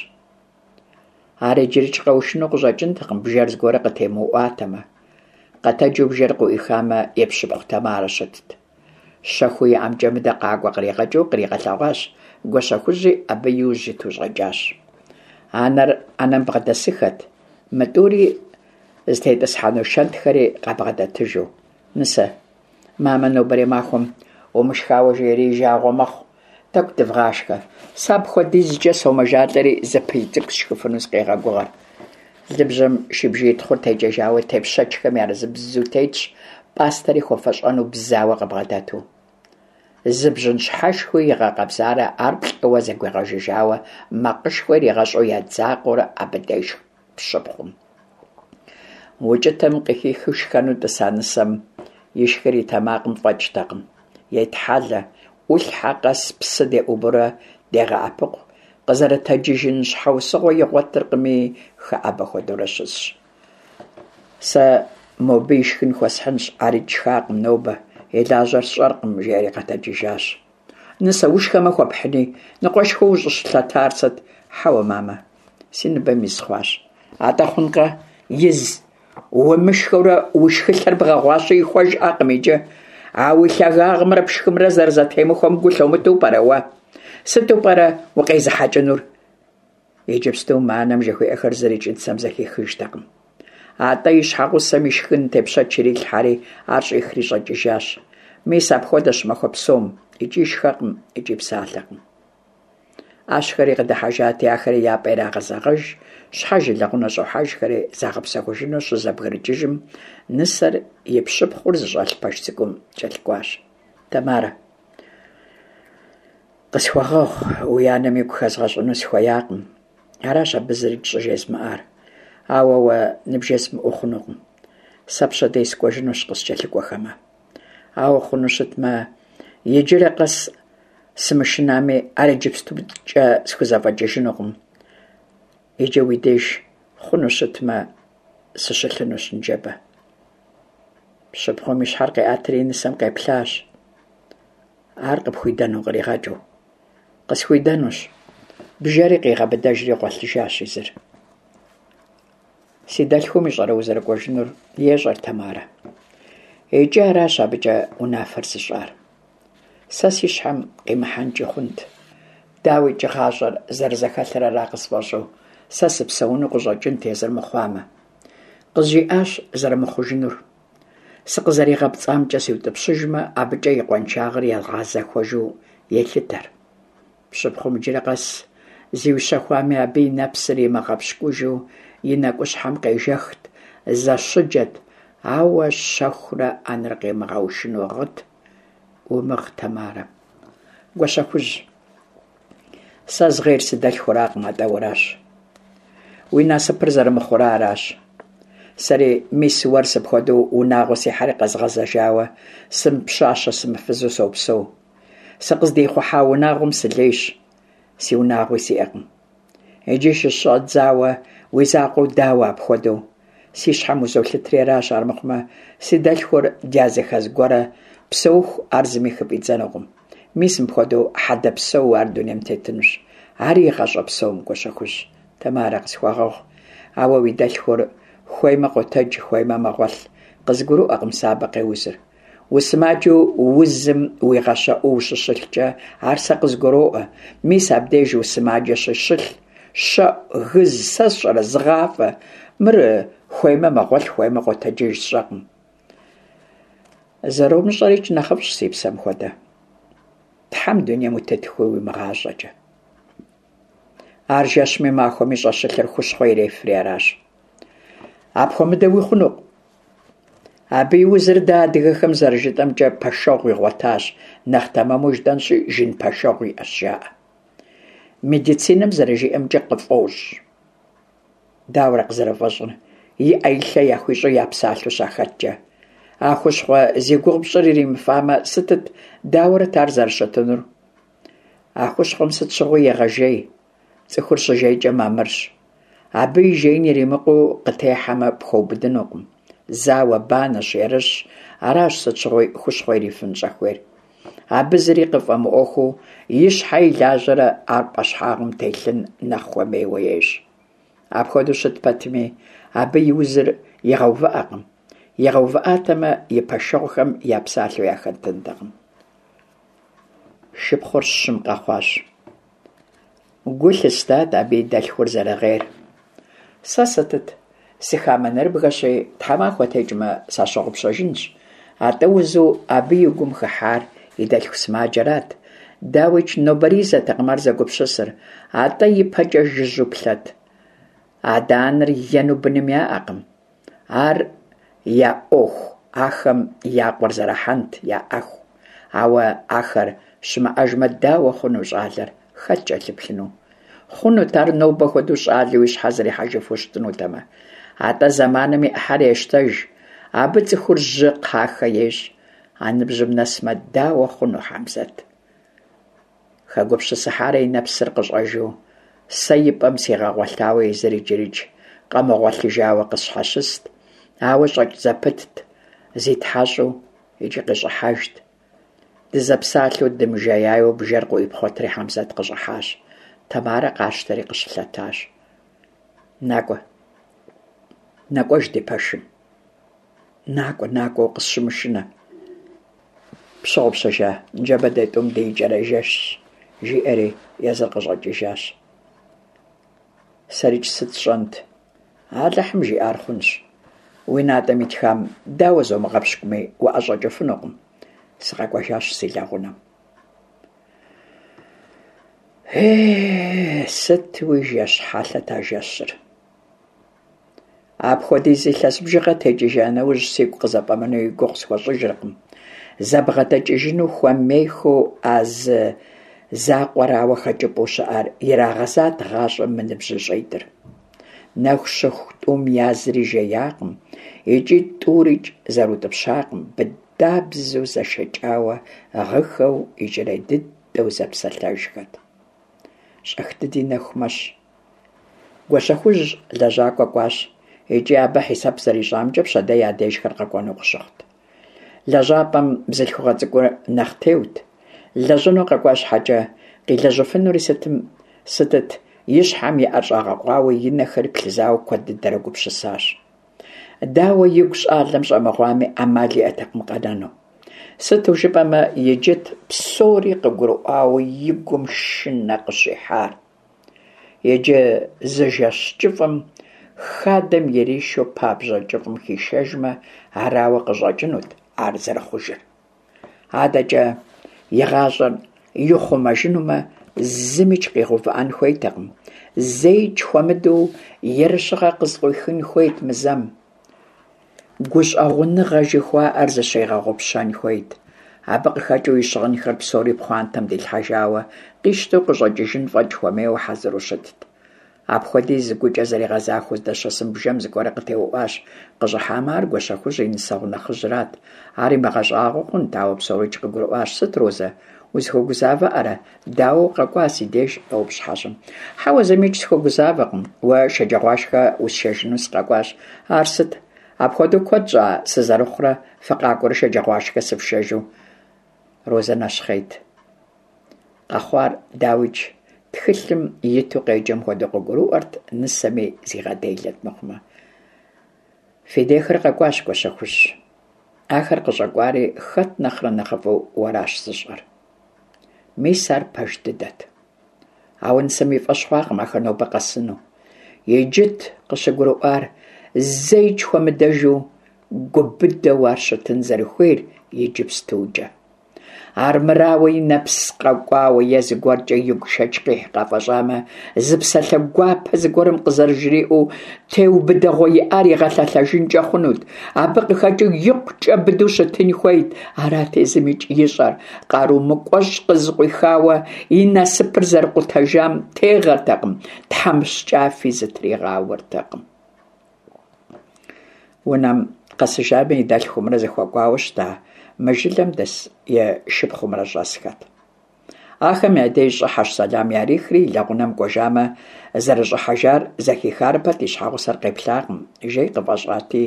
Ар иджырикӏ къэушыну къыщӏэкӏынтэкъым, бжэр зыгуэрэ къытемыуӏуатэмэ. Къэтэджу бжэр къыӏуихамэ, и пщыпхъу Тамарэ щытт. Щэхуу и ӏэмкӏэ мыдэ къакӏуэ къригъэкӏыу къригъэлъэгъуащ, Гуащэхужьи абы и ужь иту щӏэкӏащ. Анэр ӏэнэм бгъэдэсыхэт, мы тӏури зытетӏысхьэну шэнтхэри къабгъэдэтыжу. Нысэ, мамэ нобэрей махуэм умышхауэ жери и жагъуэ мэхъу, тӏэкӏу дывгъашхэ. Сэ апхуэдизкӏэ сомэжалӏэри зы пыл цӏыкӏу сшхыфыну сыкъегъэгугъэр. Лыбжьэм шыбжий тхъур текӏэжауэ тепщэчхэм ярызыбзу тетщ, пӏастэри хуэфэщӏэну бзауэ къыбгъэдэту. Зы бжьын щхьэшхуи игъэкъэбзарэ ар плӏыуэ зэгуигъэжыжауэ макъышхуэ иригъэщӏу едзакъэурэ абы дешх пщыпхъум. Укӏытэм къыхихыу шхэну тӏыса нысэм ишхыр и тэмакъым фӏэкӏтэкъым. Етхьэлэ, ӏулъхьэ къэс псы деӏубурэ дегъэӏэпыкъу, къызэрытэджыжын щхьэусыгъуэ игъуэтыркъыми, хэӏэбэ хуэдэурэ щысщ. Сэ мобы ишхын хуэсхьынщ, арикӏ шхакъым нобэ, и лажьэр сщӏэркъым, жиӏэри къэтэджыжащ. Нысэ, ушхэмэ хуэпхьыни, ныкъуэшхыу ущӏыщылъэтар сыт? Хьэуэ, мамэ, си ныбэм из хъуащ. Атӏэ хъункъэ, из умышхэурэ уи шхылъэр бгъэгъуащи ихуэжӏакъым иджы. А уи лъагагъымрэ пшхымрэ зэрызэтемыхуэм гу лъумытэу пӏэрэ уэ? Сыту пӏэрэ укъезыхьэкӏынур? Иджыпсту мы анэм жыхуиӏэхэр зырикӏ нысэм зэхихыжтэкъым. Атӏэ и щхьэгъусэм и шхын тепщэч ирилъхьэри, ар щӏихри щӏэкӏыжащ. Мис апхуэдэщ махуэ псом, икӏи шхэкъым, икӏи псалъэкъым. ӏэщхэри къыдыхьэжати, ахэри я пӏэ ирагъэзэгъэж, щхьэж и лэгъунэ щӏохьэжхэри загъэпсэхужыну щызэбгрыкӏыжым, нысэр и пщыпхъур зыщӏэлъ пэш цӏыкӏум кӏэлъыкӏуащ. Тамарэ. Къысхуэгъэгъу, уи анэм игу хэзгъэщӏыну сыхуеякъым. Аращ абы зырикӏ щӏыжезмыӏар. Ауэ уэ ныбжесмыӏэу хъунукъым. Сэ пщэдей сыкӏуэжынущ къыскӏэлъыкӏуэхэмэ. Ауэ хъуну щытмэ, иджырэ къэс сымышынами, ар иджыпстукӏэ схузэфӏэкӏыжынукъым. Иджы уи деж хъуну щытмэ, сыщылъынущ ныжэбэ. Пщыпхъум и щхьэр къиӏэтри и нысэм къеплъащ. Ар къыпхуидэну къригъэкӏыу. Къысхуидэнущ. Бжэри къигъэбыдэжри гъуэлъыжащ езыр. Си дэлъхум ищӏэрэ узэрыкӏуэжынур, ещӏэр Тамарэ. Икӏи аращ абыкӏэ унафэр зыщӏар. Сэ си щхьэм къимыхьэнкӏи хъунт. Дауикӏ, гъащӏэр зэрызэхэлъыр ара къысфӏэщӏу, сэ сыпсэуну къыщӏэкӏынт езыр мыхъуамэ. Къызжиӏащ зэрымыхъужынур. Сыкъызэригъэпцӏамкӏэ сиутӏыпщыжмэ, абыкӏэ и къуаншагъэр игъэзэхуэжу елъытэр. Пщыпхъум иджыри къэс зиущэхуами, абы и нэпсыр имыгъэпщкӏужу и нэкӏущхьэм къежэхт, зэщыджэт, ауэ щэхурэ анэр къимыгъэушыну гъыт. Умыгъ, Тамарэ. Гуащэхужь. Сэ згъейр си дэлъхуракъым, атӏэ уэращ. Уи насыпыр зэрымыхъура аращ. Сэри мис уэр сыпхуэдэу унагъуэ сихьэри къэзгъэзэжауэ, сымыпщащэ сымыфызу сопсэу. Сыкъыздихъухьа унагъуэм сылейщ, си унагъуи сиӏэкъым. Иджы щыщӏэдзауэ уи закъуэу дауэ апхуэдэу? Си щхьэм узолъытри аращ, армыхъумэ, си дэлъхур дязыхэз гуэрэ псэуху ар зыми хыфӏидзэнукъым. Мис мыпхуэдэу хьэдэ псэуу ар дунейм тетынущ. Ари и гъащӏэ псом, Гуащэхужь. Тамарэ, къысхуэгъэгъу. Ауэ уи дэлъхур хуеймэ къотэдж, хуеймэ мэгъуэлъ. Къызгурыӏуэкъым сэ абы къеузыр. Усымаджэу узым уигъэщэӏуу ущыщылъкӏэ, ар сэ къызгуроӏуэ. Мис абдеж усымаджэщи щылъ, щэӏу, гыз, сэ сщӏэрэ, зыгъафӏэ. Мыр хуеймэ мэгъуэлъ, хуеймэ къотэджыж, сщӏэкъым. Зэромыщӏэрикӏ нэхъыфӏщ, си псэм хуэдэ. Тхьэм дунейм утетыхуи уимыгъащӏэкӏэ. Ар жэщми махуэми щӏэщылъыр хущхъуэ ирефри аращ. Апхуэмыдэуи хъунукъым. Абы и узыр дэ адыгэхэм зэрыжытӏэмкӏэ пэшэгъу игъуэтащ, нэхъ тэмэму жытӏэнщи, жын пэшэгъу иӏэщ, жаӏэ. Медицинэм зэрыжиӏэмкӏэ къыфӏощӏ. Дауэрэ къызэрыфӏэщӏыр, и ӏэ и лъэ яхуищӏу япсалъэу щахэткӏэ? А хущхъуэ зи гугъу пщӏыр иримыфамэ, сытыт, дауэрэт ар зэрыщытынур? А хущхъуэм сыт щыгъуи егъэжей, цӏыхур щыжейкӏэ мамырщ. Абы и жеин иримыкъуу къытехьэмэ, пхуэубыдынукъым. Зауэ, банэщ, ерыщщ, аращ сыт щыгъуи хущхъуэ ирифын щӏэхуейр. Абы зыри къыфӏэмыӏуэхуу и щхьэ и лажьэрэ ар пӏэщхьагъым телъын нэхъ хуэмейуэ ещӏ. Апхуэдэу щыт пэтми, абы и узыр игъэувыӏэкъым. Игъэувыӏатэмэ, и пэшэгъухэм я псалъэу яхэтынтэкъым. Шыпхъур щым къэхъуащ. Гу лъыстат абы и дэлъхур зэрыгъейр. Сэ сытыт, сыхамэ нэрыбгэщи, тхьэмахуэ текӏмэ, сащыгъупщэжынщ. Атӏэ узу абы и гум хыхьар и дэлъху сымаджэрат. Дауикӏ, нобэризэтэкъым ар зэгупсысыр, атӏэ ипэкӏэ жыжьэу плъэт. Адэ-анэр ену быным яӏэкъым. Ар я ӏуэху ахэм я къуэр зэрахьэнт яӏэху. Ауэ ахэр щымыӏэжмэ, дауэ хъуну щӏалэр, хэт кӏэлъыплъыну? Хъунут ар нобэ хуэдэу щӏалэу и щхьэ зэрихьэжыфу щытынутэмэ. Атӏэ зэманым и ӏыхьэр ещтэж. Абы цӏыхур жьы кхъахэ ещӏ. А ныбжьым нэсмэ, дауэ хъуну Хьэмзэт? Хэгупсысыхьарэ и нэпсыр къыщӏэжу, сэ и пӏэм сигъэгъуэлъауэ езыр иджырикӏ къэмыгъуэлъыжауэ къысщхьэщыст, ауэ щӏэкӏ зэпытт, зитхьэщӏу икӏи къыщӏыхьэжт. Дызэпсалъэу дымыжеяуэ бжэр къыӏуипхъуэтри Хьэмзэт къыщӏыхьащ. Тамарэ къащтэри къыщылъэтащ. Накӏуэ. Нэкӏуэж ди пэшым. Накӏуэ, накӏуэ, укъысщымышынэ. Пщыгъупщэжа, ныжэбэ дэ тӏум ди икӏэрей жэщщ, жиӏэри езыр къыщӏэкӏыжащ. Сэрикӏ сыт сщӏэнт? Алыхьым жиӏар хъунщ. Уи натӏэм итхам дауэ зомыгъэпщкӏуми, уӏэщӏэкӏыфынукъым. Сыкъэкӏуэжащ си лэгъунэм. Е, сытуи жэщ хьэлъэт а жэщыр. Апхуэдиз илъэс бжыгъэ текӏыжа нэужь, сигу къызэфӏэмынэу и гугъу схуэщӏыжыркъым. Зэбгъэдэкӏыжыну хуэмейхэу а зы закъуэрауэ хэкӏыпӏэу щыӏэр ирагъэзат гъащӏэм мы ныбжьыщӏитӏыр. Нэху щыху тӏум язри жеякъым икӏи тӏурикӏ зэрыутӏыпщакъым, быдабзэу зэшэкӏауэ гъыхэу икӏэрей дыдэу зэпсэлъэжхэт. Щӏэх дыди нэху мэщ. Гуащэхужь лэжьакӏуэ кӏуащ икӏи абы хьисэп зэрищӏамкӏэ пщэдей я дежхэр къэкӏуэну къыщыхъут. Лэжьапӏэм бзылъхугъэ цӏыкӏур нэхъ теут. Лэжьыну къэкӏуа щхьэкӏэ, къилэжьыфынури сытым сытыт, и щхьэм и ӏэр щӏэгъэкъуауэ, и нэхэри плъызауэ куэд дыдэрэ гупсысащ. Дауэ игу щӏалэм щӏэмыгъуами, ӏэмал иӏэтэкъым къэнэну. Сыту жыпӏэмэ, иджыт псори къыгурыӏуауэ и гум шынэ къыщихьар. Иджы зы жэщ кӏыфӏым хадэм иришу пабжьэ кӏыфӏым хишэжмэ, арауэ къыщӏэкӏынут ар зэрыхъужыр. Адэкӏэ и гъащӏэр ихъумэжынумэ, зымикӏ къигъэувыӏэн хуейтэкъым. Зэикӏ хуэмыдэу ерыщыгъэ къызыкъуихын хуейт мы зэм. Гущӏэгъуныгъэ жыхуаӏэр зыщигъэгъупщэн хуейт. Абы къыхэкӏыу и щыгъынхэр псори пхъуантэм дилъхьэжауэ, къищтэу къыщӏэкӏыжын фӏэкӏ хуэмейуэ хьэзыру щытт. Апхуэдиз гукӏэ зэригъэзахуэу здэщысым бжэм зыгуэр къытеуӏуащ. Къыщӏыхьамэ, ар Гуащэхужь и нысэгъу нэхъыжьрат. Ар имыгъэщӏагъуэу хъунт, ауэ псорикӏ къыгурыӏуащ. Сыт, Розэ, узыхуэгузавэӏэрэ? Дауэ укъэкӏуа си деж? къоупщӏ хьэщӏэм. Хьэуэ, зымикӏ сыхуэгузавэкъым. Уэ шэджагъуашхэ усшэжыну сыкъэкӏуащ. Ар сыт? Апхуэдэу куэд щӏа сызэрыхъурэ фыкъакӏуэрэ шэджагъуашхэ сыфшэжу? Розэ нэщхъейт. Къэхъуар, дауикӏ, тхылъым иту къеджэм хуэдэу къыгурыӏуэрт, нысэми зигъэделэт мыхъумэ. Фи дейхэр къэкӏуащ, Гуащэхужь. Ахэр къыщӏэкӏуари хэт нэхърэ нэхъыфӏу уэращ зыщӏэр. Мис ар пэж дыдэт. Ауэ нысэм и фӏэщ хъуакъым ахэр нобэ къэсыну. Иджыт къыщыгурыӏуар зэикӏ хуэмыдэжу гу быдэу ар щытын зэрыхуейр иджыпстукӏэ. Армырауэ и нэпс къэкӏуауэ е зыгуэркӏэ игу шэч къихь къафӏэщӏамэ, зы псалъэ гуапэ зыгуэрым къызэрыжриӏэу теубыдэгъуэ иӏар игъэлъэлъэжынкӏэ хъунут. Абы къыхэкӏыу икъукӏэ быдэу щытын хуейт, арат езымикӏ ищӏэр. Къару мыкӏуэщӏ къызыкъуихауэ и насыпыр зэрыкъутэжам тегъэртэкъым, тхьэмыщкӏафи зытригъауэртэкъым. Унэм къэсыжами, и дэлъхумрэ зыхуэкӏуауэ щыта мы жылэм дэс и шыпхъумрэ щӏэсхэт. Ахэм я деж щӏыхьэщ сэлам ярихри, и лэгъунэм кӏуэжамэ, зэрыщӏыхьэжар зэхихарэ пэт и щхьэгъусэр къеплъакъым, жей къыфӏэщӏати,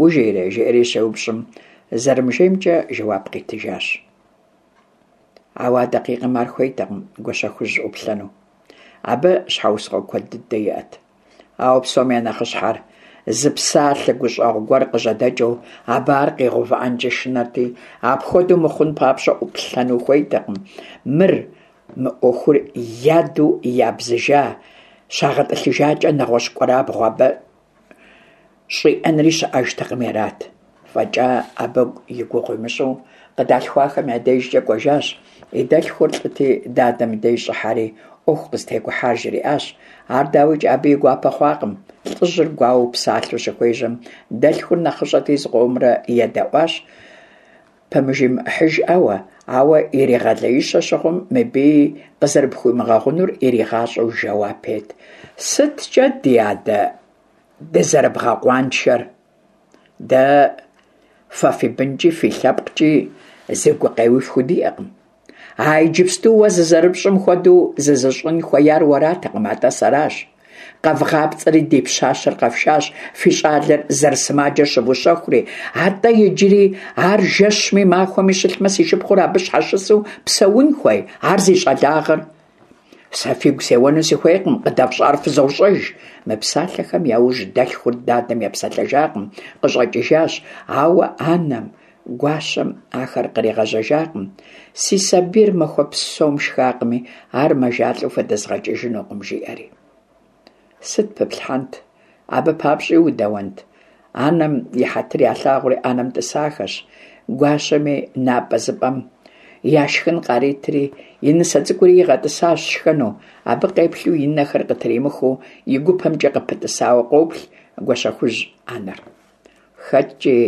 ужейрэ, жиӏэри щеупщӏым, зэрымыжеймкӏэ жэуап къитыжащ. Ауэ а дакъикъэм ар хуейтэкъым Гуащэхужь ӏуплъэну. Абы щхьэусыгъуэ куэд дыдэ иӏэт. Ауэ псом я нэхъыщхьэр, зы псалъэ гущӏэгъу гуэр къыжьэдэкӏыу абы ар къигъэувыӏэнкӏи шынэрти, апхуэдэу мыхъун папщӏэ ӏуплъэну хуейтэкъым. Мыр, мы ӏуэхур яду ябзыжа, щагъэтӏылъыжакӏэ нэгъуэщӏ кӏуэрабгъу абы щӏиӏэнри щыӏэжтэкъыми арат. Фӏэкӏа абы и гугъу имыщӏу къыдалъхуахэм я дежкӏэ кӏуэжащ. И дэлъхур лӏыти, дадэм и деж щӏыхьэри, ӏуэху къызытекӏухьар жриӏащ. Ар, дауикӏ, абы и гуапэ хъуакъым. Лӏыжьыр гуауэу псалъэу щыхуежьэм, дэлъхур нэхъыщӏэти зыкъомрэ едэӏуащ, пымыжимыӏыхьыжӏауэ, ауэ иригъэлеищэ щыхъум, мыбыи къызэрыпхуимыгъэгъунур иригъащӏэу жэуап ет. Сыткӏэ, ди адэ, дызэрыбгъэкъуаншэр? Дэ фэ фи бынкӏи фи лъэпкъкӏи зы гукъеуи фхудиӏэкъым. А иджыпсту уэ зызэрыпщӏым хуэдэу зызыщӏын хуеяр уэратэкъым, атӏэ сэращ. Къэвгъапцӏэри ди пщащэр къэфшащ, фи щӏалэр зэрысымаджэр щывущэхури, атӏэ иджыри ар жэщми махуэми щылъмэ, си шыпхъур абы щхьэщысу псэун хуей, ар зи щӏалагъэр. Сэ фигу сеуэну сыхуейкъым, къыдэфщӏар фызощӏэж. Мы псалъэхэм я ужь дэлъхур дадэм епсэлъэжакъым, къыщӏэкӏыжащ, ауэ анэм, гуащэм ахэр къригъэжьэжакъым. Си сабийр махуэ псом шхакъыми, ар мэжалӏэу фыдэзгъэкӏыжынукъым, жиӏэри. Сыт пыплъхьэнт? Абы папщӏи удэуэнт? Анэм и хьэтыр ялъагъури ӏэнэм тӏысахэщ. Гуащэми напӏэзыпӏэм яшхын къаритри, и нысэ цӏыкӏури игъэтӏысащ шхэну. Абы къеплъу и нэхэр къытримыхыу и гупэмкӏэ къыпытӏысауэ къоплъ Гуащэхужь анэр. Хэткӏи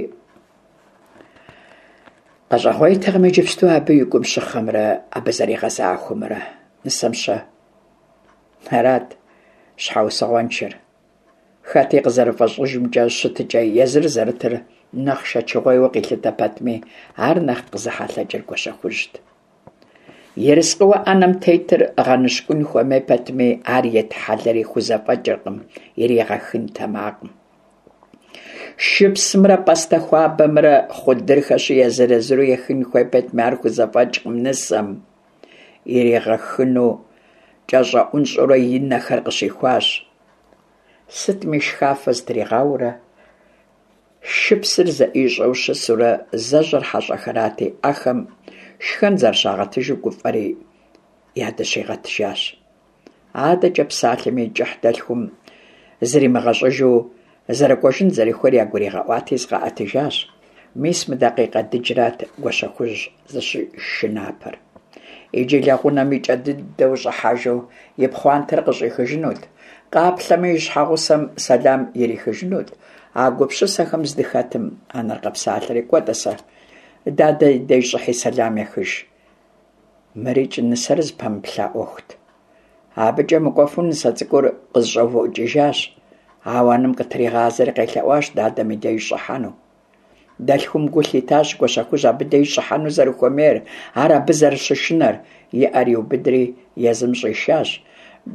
къэщӏэгъуейтэкъым иджыпсту абы и гум щыхъэмрэ абы зэригъэзахуэмрэ. Нысэм-щэ? Арат щхьэусыгъуэншэр. Хэти къызэрыфӏэщӏыжымкӏэ щытыкӏэ езыр зэрытыр нэхъ шэчыгъуейуэ къилъытэ пэтми, ар нэхъ къызэхьэлъэкӏыр Гуащэхужьт. Ерыскъыуэ ӏэнэм тетыр гъэныщкӏун хуэмей пэтми, ар етхьэлэри хузэфӏэкӏыркъым иригъэхын тэмакъым. Шыпсымрэ пӏастэ хуабэмрэ хъудырхэщи, езыр-езыру ехын хуей пэтми, ар хузэфӏэкӏкъым нысэм. Иригъэхыну кӏэщӏэӏунщӏэурэ и нэхэр къыщихуащ. Сытми шхафэ зытригъауэрэ, шыпсыр зэӏищӏэу щысурэ зэжьэр хьэщӏэхэрати, ахэм шхэн зэрыщагъэтыжу гуфӏэри ядыщигъэтыжащ. Адэкӏэ псалъэми и кӏыхь дэлъхум зримыгъэщӏыжу зэрыкӏуэжын зэрыхуейр ягуригъэӏуати, зыкъаӏэтыжащ. Мис мы дакъикъэ дыджрат Гуащэхужь зыщышынапэр. Иджы лэгъунэм и кӏэ дыдэу щӏыхьэжу и пхъуантэр къыщӏихыжынут, къаплъэмэ и щхьэгъусэм сэлам ирихыжынут. А гупсысэхэм здыхэтым анэр къэпсалъэри, кӏуэ, тӏасэ, дадэ и деж щӏыхьи сэлам ехыж. Мырикӏ нысэр зыпэмыплъа ӏуэхут. Абыкӏэ мыкӏуэфу нысэ цӏыкӏур къызэщӏэувыӏукӏыжащ, ауэ анэм къытригъазэри къелъэӏуащ дадэм и деж щӏыхьэну. Дэлъхум гу лъитащ Гуащэхужь абы деж щӏыхьэну зэрыхуэмейр, ар абы зэрыщышынэр. И ӏэр иубыдри езым щӏишащ.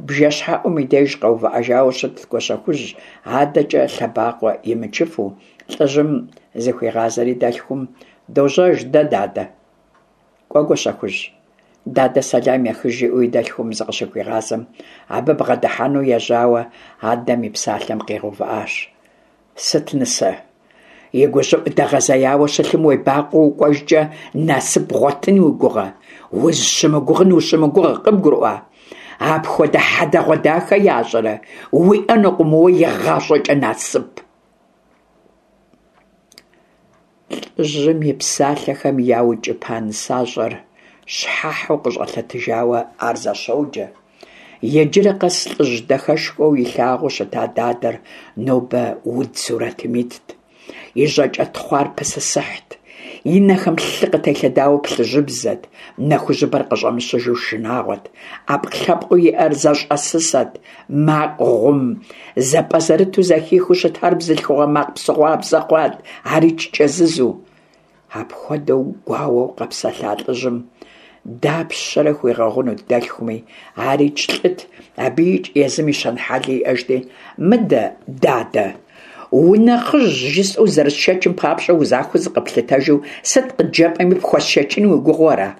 Бжэщхьэӏум и деж къэувыӏэжауэ щытт Гуащэхужь, адэкӏэ лъэбакъуэ имычыфу. Лӏыжьым зыхуигъазэри дэлъхум, Дожьэж дэ, дадэ. Кӏуэ, Гуащэхужь, дадэ сэлам ехыж, жиӏэу и дэлъхум зыкъыщыхуигъазэм, абы бгъэдыхьэну ежьауэ адэм и псалъэм къигъэувыӏащ. Сыт, нысэ, и гущӏыӏу дэгъэзеяуэ щылъым уебакъуэу укӏуэжкӏэ насып бгъуэтын уи гугъэ? Узыщымыгугъын ущымыгугъ, къыбгурыӏуа? Апхуэдэ хьэдэгъуэдахэ ящӏэрэ, уиӏэнукъым уэ игъащӏэкӏэ насып. Лӏыжьым и псалъэхэм яукӏыпа нысащӏэр щхьэхьу къыщӏэлъэтыжауэ ар зэщоджэ. Иджырэ къэс лӏыжь дахэшхуэу илъагъуу щыта дадэр нобэ уд сурэтым итт. И жьакӏэ тхъуар пысысыхьт. И нэхэм лъы къытелъэдауэ плъыжьыбзэт, нэ хужьыбэр къыщӏэмыщыжу шынагъуэт, ӏэпкълъэпкъыу иӏэр зэщӏэсысэт, макъ гъум зэпӏэзэрыту зэхихыу щытар бзылъхугъэ макъ псыгъуабзэ хъуат, арикӏ кӏэзызу. Апхуэдэу гуауэу къэпсэлъа лӏыжьым дапщэрэ хуигъэгъунут дэлъхуми, арикӏ лӏыт, абыикӏ езым и щэн-хьэли иӏэжти, мыдэ, дадэ, унэхъыжь жысӏэу зэрысшэчым папщӏэ узахуэу зыкъэплъытэжу сыт къыджепӏэми пхуэсшэчын уи гугъэу ара?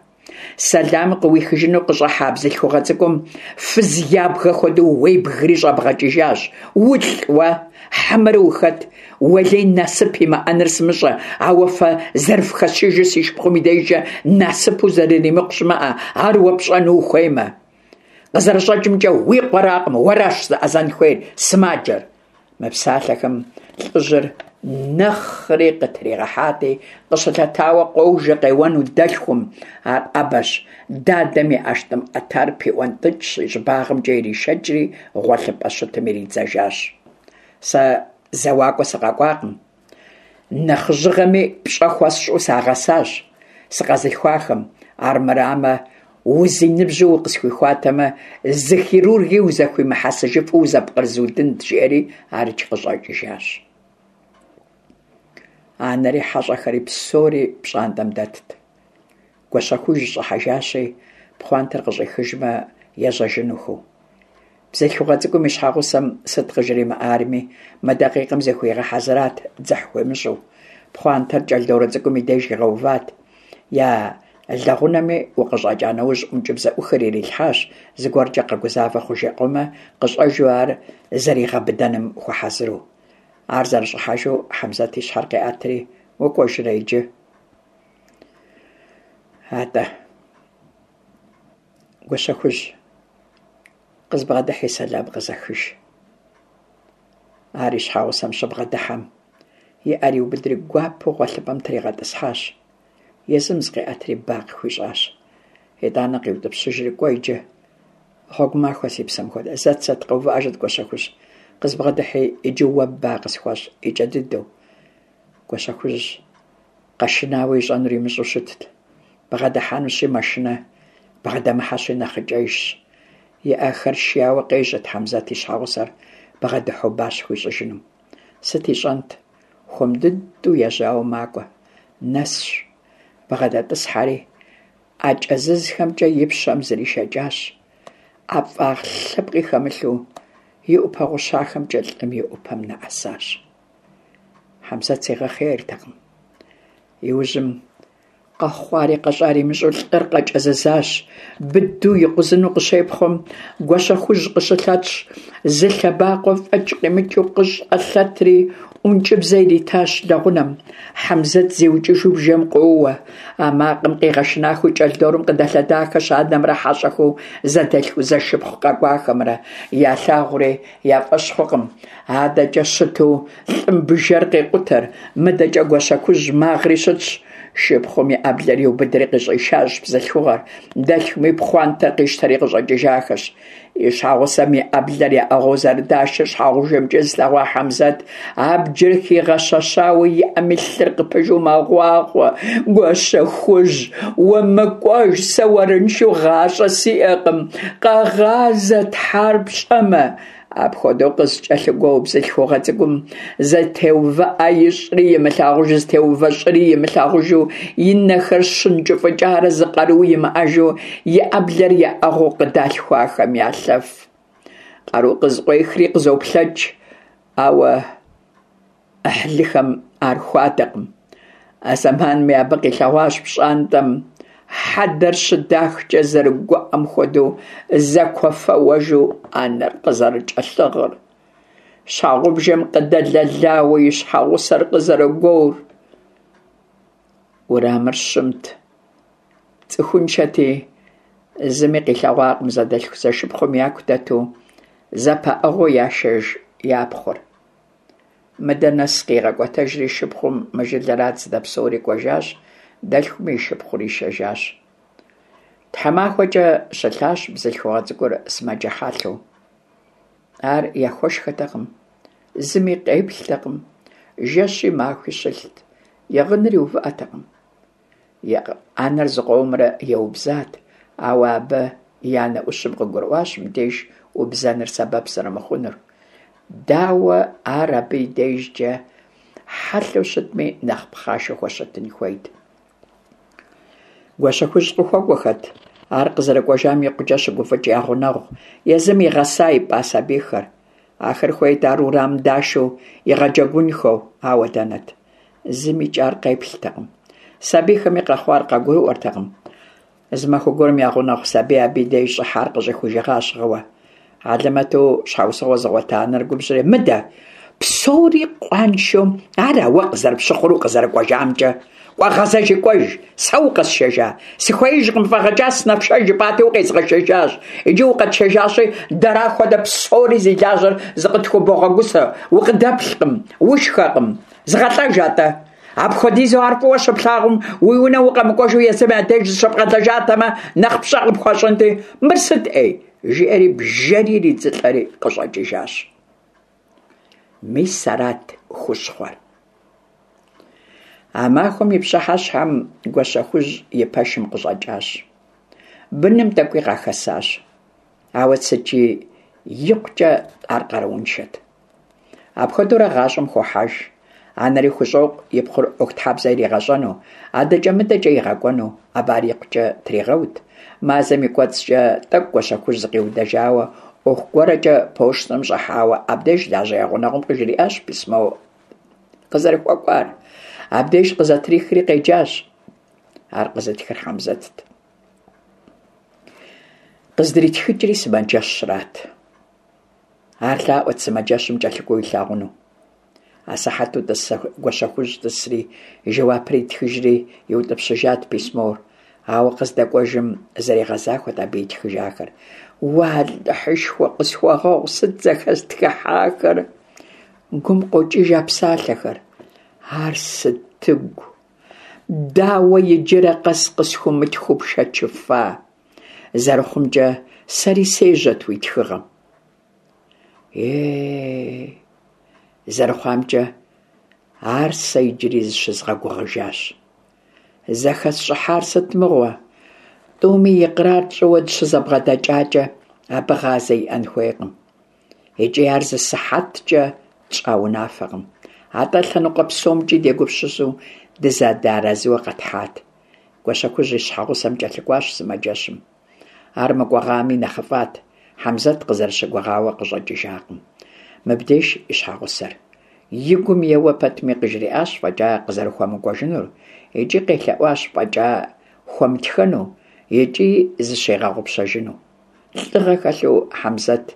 Сэлам къыуихыжыну къыщӏыхьа бзылъхугъэ цӏыкӏум фыз ябгэ хуэдэу уебгри щӏэбгъэкӏыжащ. Улӏ уэ, хьэмэрэ ухэт? Уэлей насып имыӏэныр сымыщӏэ, ауэ фэ зэрыфхэсшыжыр си шыпхъум и дежкӏэ насыпу зэрыримыкъу щымыӏэ, ар уэ пщӏэну ухуеймэ. Къызэрыщӏэкӏымкӏэ, уи къуэракъым, уэращ зэӏэзэн хуейр, сымаджэр. Мы псалъэхэм лӏыжьыр нэхъри къытригъэхьати, къыщылъэтауэ къожэ къеуэну дэлъхум. Ар ӏэбэщ, дадэм и ӏэштӏым ӏэтар пиӏуэнтӏыкӏщ, и щӏыбагъымкӏэ иришэкӏри, гъуэлъыпӏэ щытым иридзэжащ. Сэ зэуакӏуэ сыкъэкӏуакъым. Нэхъыжьыгъэми пщӏэ хуэсщӏу сагъэсащ сыкъэзылъхуахэм, армырамэ, узиныбжьу укъысхуихуатэмэ, зы хирурги узэхуимыхьэсыжыфу узэпкърызудынт, жиӏэри арикӏ къыщӏэкӏыжащ. Анэри хьэщӏэхэри псори пщӏантӏэм дэтт. Гуащэхужь щӏыхьэжащи, пхъуантэр къыщӏихыжмэ, ежьэжынухэу. Бзылъхугъэ цӏыкӏум и щхьэгъусэм сыт къыжримыӏарми, мы дакъикъэм зыхуигъэхьэзырат дзыхь хуимыщӏу. Пхъуантэр кӏэлдорэ цӏыкӏум и деж игъэуват. Я лэгъунэми укъыщӏэкӏа нэужь ӏункӏыбзэӏухыр ирилъхьащ, зыгуэркӏэ къэгузавэ хъужыкъуэмэ, къыщӏэжу ар зэригъэбыдэным хуэхьэзыру. Ар зэрыщӏыхьэжу Хьэмзэт и щхьэр къеӏэтри, укӏуэжрэ иджы? Атӏэ, Гуащэхужь, къызбгъэдыхьи сэлам къызэхыж. Ар и щхьэгъусэм щыбгъэдыхьэм, и ӏэр иубыдри гуапэу гъуэлъыпӏэм тригъэтӏысхьащ. Езым зыкъиӏэтри ба къыхуищӏащ. Итӏанэ къиутӏыпщыжри, кӏуэ иджы, гъуэгу махуэ си псэм хуэдэ. Зэт, зэт, къэувыӏэжыт, Гуащэхужь, къызбгъэдыхьи, иджы уэ ба къысхуэщӏ, икӏэ дыдэу. Гуащэхужь къэшынауэ ищӏэнур имыщӏэу щытт. Бгъэдыхьэнущи мэшынэ, бгъэдэмыхьэщи нэхъыкӏэжщ. И ӏэхэр шияуэ къежьэт Хьэмзэт и щхьэгъусэр бгъэдыхьэу ба щыхуищӏыжынум. Сыт ищӏэнт, хуэм дыдэу ежьауэ макӏуэ, нэсщ, бгъэдэтӏысхьэри, ӏэ кӏэзызхэмкӏэ и пщэм зришэкӏащ, ӏэфӏагъ лъэпкъи хэмылъу и ӏупэ гъущахэмкӏэ лӏым и ӏупэм нэӏэсащ. Хьэмзэт зигъэхъейртэкъым. Иужьым къэхъуари къэщӏари имыщӏэу лӏыр къэкӏэзызащ. Быдэу икъузыну къыщепхъуэм, Гуащэхужь къыщылъэтщ, зы лъэбакъуэ фӏэкӏ къимычу къыщӏэлъэтри, ӏункӏыбзэ иритащ лэгъунэм. Хьэмзэт зиукӏыжу бжэм къоуэ. А макъым къигъэшынахэу кӏэлдорым къыдэлъэдахэщ анэмрэ хьэщӏэхэу зэдэлъху-зэшыпхъу къэкӏуахэмрэ. Ялъагъури я фӏэщ хъукъым. Адэкӏэ щыту лӏым бжэр къекъутэр, мыдэкӏэ Гуащэхужь магъри щытщ. Шыпхъум и ӏэблэр иубыдри къыщӏишащ бзылъхугъэр, дэлъхуми пхъуантэр къищтэри къыщӏэкӏыжахэщ. И щхьэгъусэм и ӏэблэр яӏыгъыу зэрыдашыр щхьэгъубжэмкӏэ зылъэгъуа Хьэмзэт абджыр хигъэщэщауэ и ӏэми лъыр къыпыжу мэгъуахъуэ. Гуащэхужь, умыкӏуэж, сэ уэрыншэу гъащӏэ сиӏэкъым, къэгъазэ, Тхьэр пщӏэмэ. Апхуэдэу къызыкӏэлъыгуо бзылъхугъэ цӏыкӏум зэтеувыӏэ ищӏри имылъагъужу, зытеувэ щӏыри имылъагъужу, и нэхэр щынкӏыфӏыкӏарэ зы къару имыӏэжу, и ӏэблэр яӏыгъыу къыдалъхуахэм ялъэф. Къару къызыкъуехри къызоплъэкӏ, ауэ ӏыхьлыхэм ар хуадэкъым. А зэманми абы къилъэгъуащ пщӏантӏэм хьэдэр щыдахкӏэ зэрыгуӏэм хуэдэу зэкуэфэуэжу анэр къызэрыкӏэлъыгъыр, щхьэгъубжэм къыдэлэлауэ и щхьэгъусэр къызэрыгуор. Уэрамыр щымт, цӏыхуншэти, зыми къилъэгъуакъым зэдэлъху-зэшыпхъум яку дэту зэпаӏыгъыу яшэж я пхъур. Мыдэ нэс къигъэкӏуэтэжри шыпхъум мы жылэрат здэпсэури кӏуэжащ, дэлъхуми и шыпхъур ишэжащ. Тхьэмахуэкӏэ щылъащ бзылъхугъэ цӏыкӏур сымаджэ хьэлъэу. Ар яхуэшхэтэкъым, зыми къеплътэкъым, жэщи махуи щылът, и гъынри увыӏэтэкъым. И анэр зыкъомрэ еубзат, ауэ абы и анэ ӏущым къыгурыӏуащ мыбдеж убзэныр сэбэп зэрымыхъунур. Дауэ ар абы и дежкӏэ хьэлъэу щытми, нэхъ пхъашэу хуэщытын хуейт. Гуащэхужь къыхуэкӏуэхэт, ар къызэрыкӏуэжам икъукӏэ щыгуфӏыкӏ я гъунэгъу, езым игъэса ипӏа сабийхэр. Ахэр хуейт ар урамым дашу игъэджэгунхэу, ауэ дэнэт? Зыми ар къеплътэкъым. Сабийхэми къэхъуар къагурыӏуэртэкъым. Зы махуэ гуэрым я гъунэгъу сабий абы и деж щӏыхьар къыщӏихужыгъащ гъыуэ. Хьэлэмэту щхьэусыгъуэ зыгъуэта анэр губжьри, Мыдэ, псори къуаншэу ара уэ къызэрыпщыхъур укъызэрыкӏуэжамкӏэ? Кӏуэ, гъэзэжи кӏуэж, сэ укъэсшэжа? Сыхуеижкъым, фӏэгъэкӏа сынэпшэж жыпӏати, укъезгъэшэжащ. Иджы укъэтшэжащи, дэра хуэдэ псори зи лажьэр зыкъытхубогъэгусэ, укъыдэплъкъым, ушхэкъым. Зыгъэлӏэж атӏэ! Апхуэдизу ар фӏыуэ щыплъагъум, уи унэ укъэмыкӏуэжу езым я деж зыщыбгъэлэжатэмэ, нэхъ пщӏэ къыпхуащӏынти, мыр сыт ӏей? жиӏэри бжэри иридзылӏэри къыщӏэкӏыжащ. Мис арат хущхъуэр. А махуэм и пщыхьэщхьэм Гуащэхужь и пэшым къыщӏэкӏащ. Быным тӏэкӏуи къахэсащ. Ауэ сыткӏи икъукӏэ ар къарууншэт. Апхуэдэурэ гъащӏэм хохьэж. Анэри хущӏокъу и пхъур ӏуэхутхьэбзэ иригъэщӏэну, адэкӏэ-мыдэкӏэ игъэкӏуэну, абы ар икъукӏэ тригъэут. Мазэм и кӏуэцӏкӏэ тӏэкӏу Гуащэхужь зыкъиудэжауэ, ӏуэху гуэрэкӏэ пощтым щӏыхьауэ абдеж лажьэ я гъунэгъум къыжриӏащ письмо къызэрыхуэкӏуар. Абдеж къызэтрихри къеджащ. Ар къызытхыр Хьэмзэтт. Къыздритхыкӏри сымаджэщрат. Ар лъаӏуэт сымаджэщым кӏэлъыкӏуэу илъагъуну. Асыхьэту Гуащэхужь тӏысри, жэуапыр итхыжри иутӏыпщыжат письмор. Ауэ къыздэкӏуэжым зэригъэзахуэт абы итхыжахэр. Уэ, Алыхьышхуэ, къысхуэгъэгъу, сыт зэхэстхыхьахэр? Гум къокӏыж а псалъэхэр. Ар сытыгу? Дауэ иджырэ къэс къысхуумытхыу пшэчыфа? Зэрыхъумкӏэ, сэри сежьэт уи тхыгъэм. Е, зэрыхъуамкӏэ, ар сэ иджыри зыщызгъэгугъыжащ. Зэхэсщӏыхьар сыт мыгъуэ? Тӏуми икърар тщӏыуэ дыщызэбгъэдэкӏакӏэ, абы гъазэ иӏэн хуейкъым. Икӏи ар зы сыхьэткӏэ тщӏа унафэкъым, атӏэ лъэныкъуэ псомкӏи дегупсысу дызэдэарэзыуэ къэтхьат. Гуащэхужь и щхьэгъусэм кӏэлъыкӏуащ сымаджэщым. Ар мыкӏуэгъами нэхъыфӏат, Хьэмзэт къызэрыщыгугъауэ къыщӏэкӏыжакъым. Мыбдеж и щхьэгъусэр. И гум еуэ пэтми къыжриӏащ фӏэкӏа къызэрыхуэмыкӏуэжынур, икӏи къелъэӏуащ фӏэкӏа хуэмытхэну, икӏи зыщигъэгъупщэжыну. Лӏыгъэ хэлъу Хьэмзэт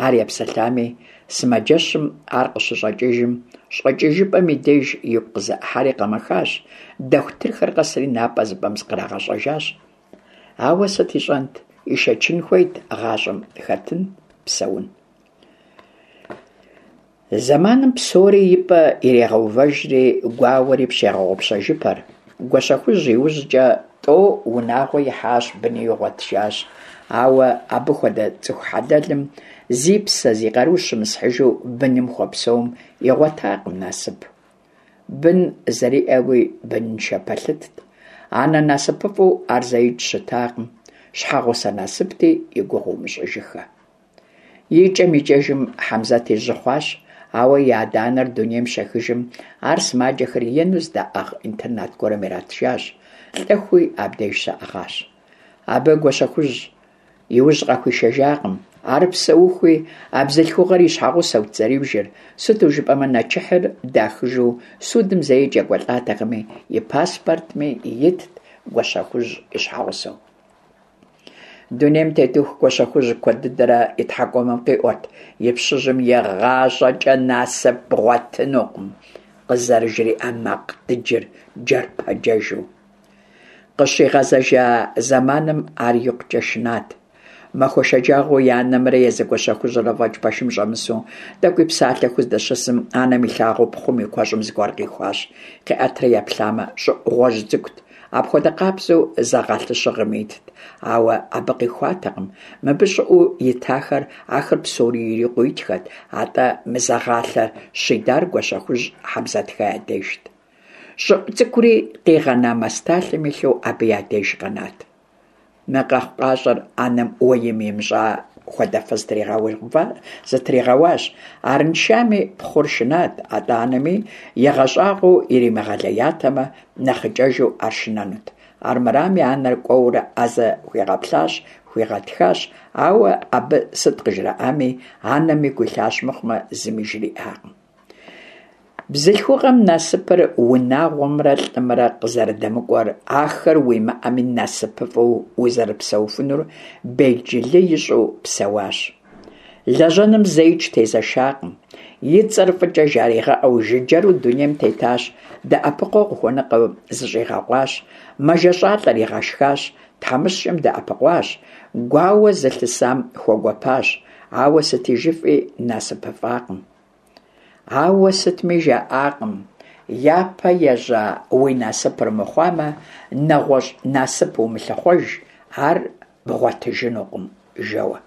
ар епсэлъами, сымаджэщым ар къыщыщӏэкӏыжым, щӏэкӏыжыпӏэм и деж игу къызэӏыхьэри къэмэхащ, дохутырхэр къэсри напӏэ зыпӏэм зыкърагъэщӏэжащ. Ауэ сыт ищӏэнт, ишэчын хуейт гъащӏэм хэтын, псэун. Зэманым псори и пӏэ ирегъэувэжри, гуауэри пщегъэгъупщэжыпэр. Гуащэхужь иужькӏэ тӏэу унагъуэ ихьащ, быни игъуэтыжащ. Ауэ абы хуэдэ цӏыху хьэлэлым зи псэ, зи къару щымысхьыжу быным хуэпсэум игъуэтакъым насып. Бын зэриӏэуи быныншэ пэлъытт. Анэ насыпыфӏэу ар зэикӏ щытакъым, щхьэгъусэ насыпти и гугъу умыщӏыжыххэ. Икӏэм-икӏэжым Хьэмзэти жьы хъуащ, ауэ и адэ-анэр дунейм щехыжым, ар сымаджэхэр ену здаӏыгъ интернат гуэрым иратыжащ, лӏэхуи абдеж щаӏыгъащ. Абы Гуащэхужь и ужь къахуишэжакъым. Ар псэухуи, а бзылъхугъэр и щхьэгъусэут зэрибжыр, сыту жыпӏэмэ нэчыхьыр дахыжу судым зэикӏ екӏуэлӏатэкъыми, и паспортми итт Гуащэхужь и щхьэгъусэу. Дунейм тетыху Гуащэхужь куэд дыдэрэ и тхьэкӏумэм къиӏуэрт и пщыжьым игъащӏэкӏэ насып бгъуэтынукъым къызэрыжриӏа макъ дыджыр джэрпэджэжу. Къыщигъэзэжа зэманым ар икъукӏэ шынат. Махуэ шэджагъуэу и анэмрэ езы Гуащэхужьрэ фӏэкӏ пэшым щӏэмысу, тӏэкӏуи псалъэхэу здэщысым, анэм илъагъуу пхъум и куэщӏым зыгуэр къихуащ. Къиӏэтрэ еплъамэ, щӏыӏу гъуэжь цӏыкӏут. Апхуэдэ къабзэу зэгъалъэ щыгъым итт, ауэ абы къихуатэкъым. Мыбы щӏыӏуу итахэр, ахэр псори ирикъуу итхэт, атӏэ мы зэгъалъэр щидар Гуащэхужь Хьэмзэтхэ я дежт. Щӏыӏу цӏыкӏури къигъэна масталъэм илъу абы я деж къэнат. Мы къэхъукъащӏэр анэм уэим имыщӏа хуэдэфэ зытригъэуащ. Арыншами пхъур шынат, атӏэ анэми игъэщӏагъуэу иримыгъэлеятэмэ, нэхъыкӏэжу ар шынэнут. Армырами, анэр кӏуэурэ ӏэзэ хуигъэплъащ, хуигъэтхащ, ауэ абы сыт къыжраӏами, анэм игу илъащ мыхъумэ, зыми жриӏакъым. Бзылъхугъэм насыпыр унагъуэмрэ лӏымрэ къызэрыдэмыкӏуэр, ахэр уимыӏэми насыпыфӏэу узэрыпсэуфынур белджылы ищӏу псэуащ. Лэжьэным зэикӏ тезэшакъым, и цӏэр фӏыкӏэ жаригъэӏэу жыджэру дунейм тетащ, дэӏэпыкъуэгъу къыхуэныкъуэм зыщӏигъэкъуащ, мэжэщӏалӏэр игъэшхащ, тхьэмыщкӏэм дэӏэпыкъуащ, гуауэ зылъысам хуэгуэпащ, ауэ сыти жыфӏи насыпыфӏакъым. Ауэ сытми жаӏакъым, япэ ежьа уи насыпыр мыхъуамэ, нэгъуэщӏ насып умылъыхъуэж, ар бгъуэтыжынукъым, жэуэ.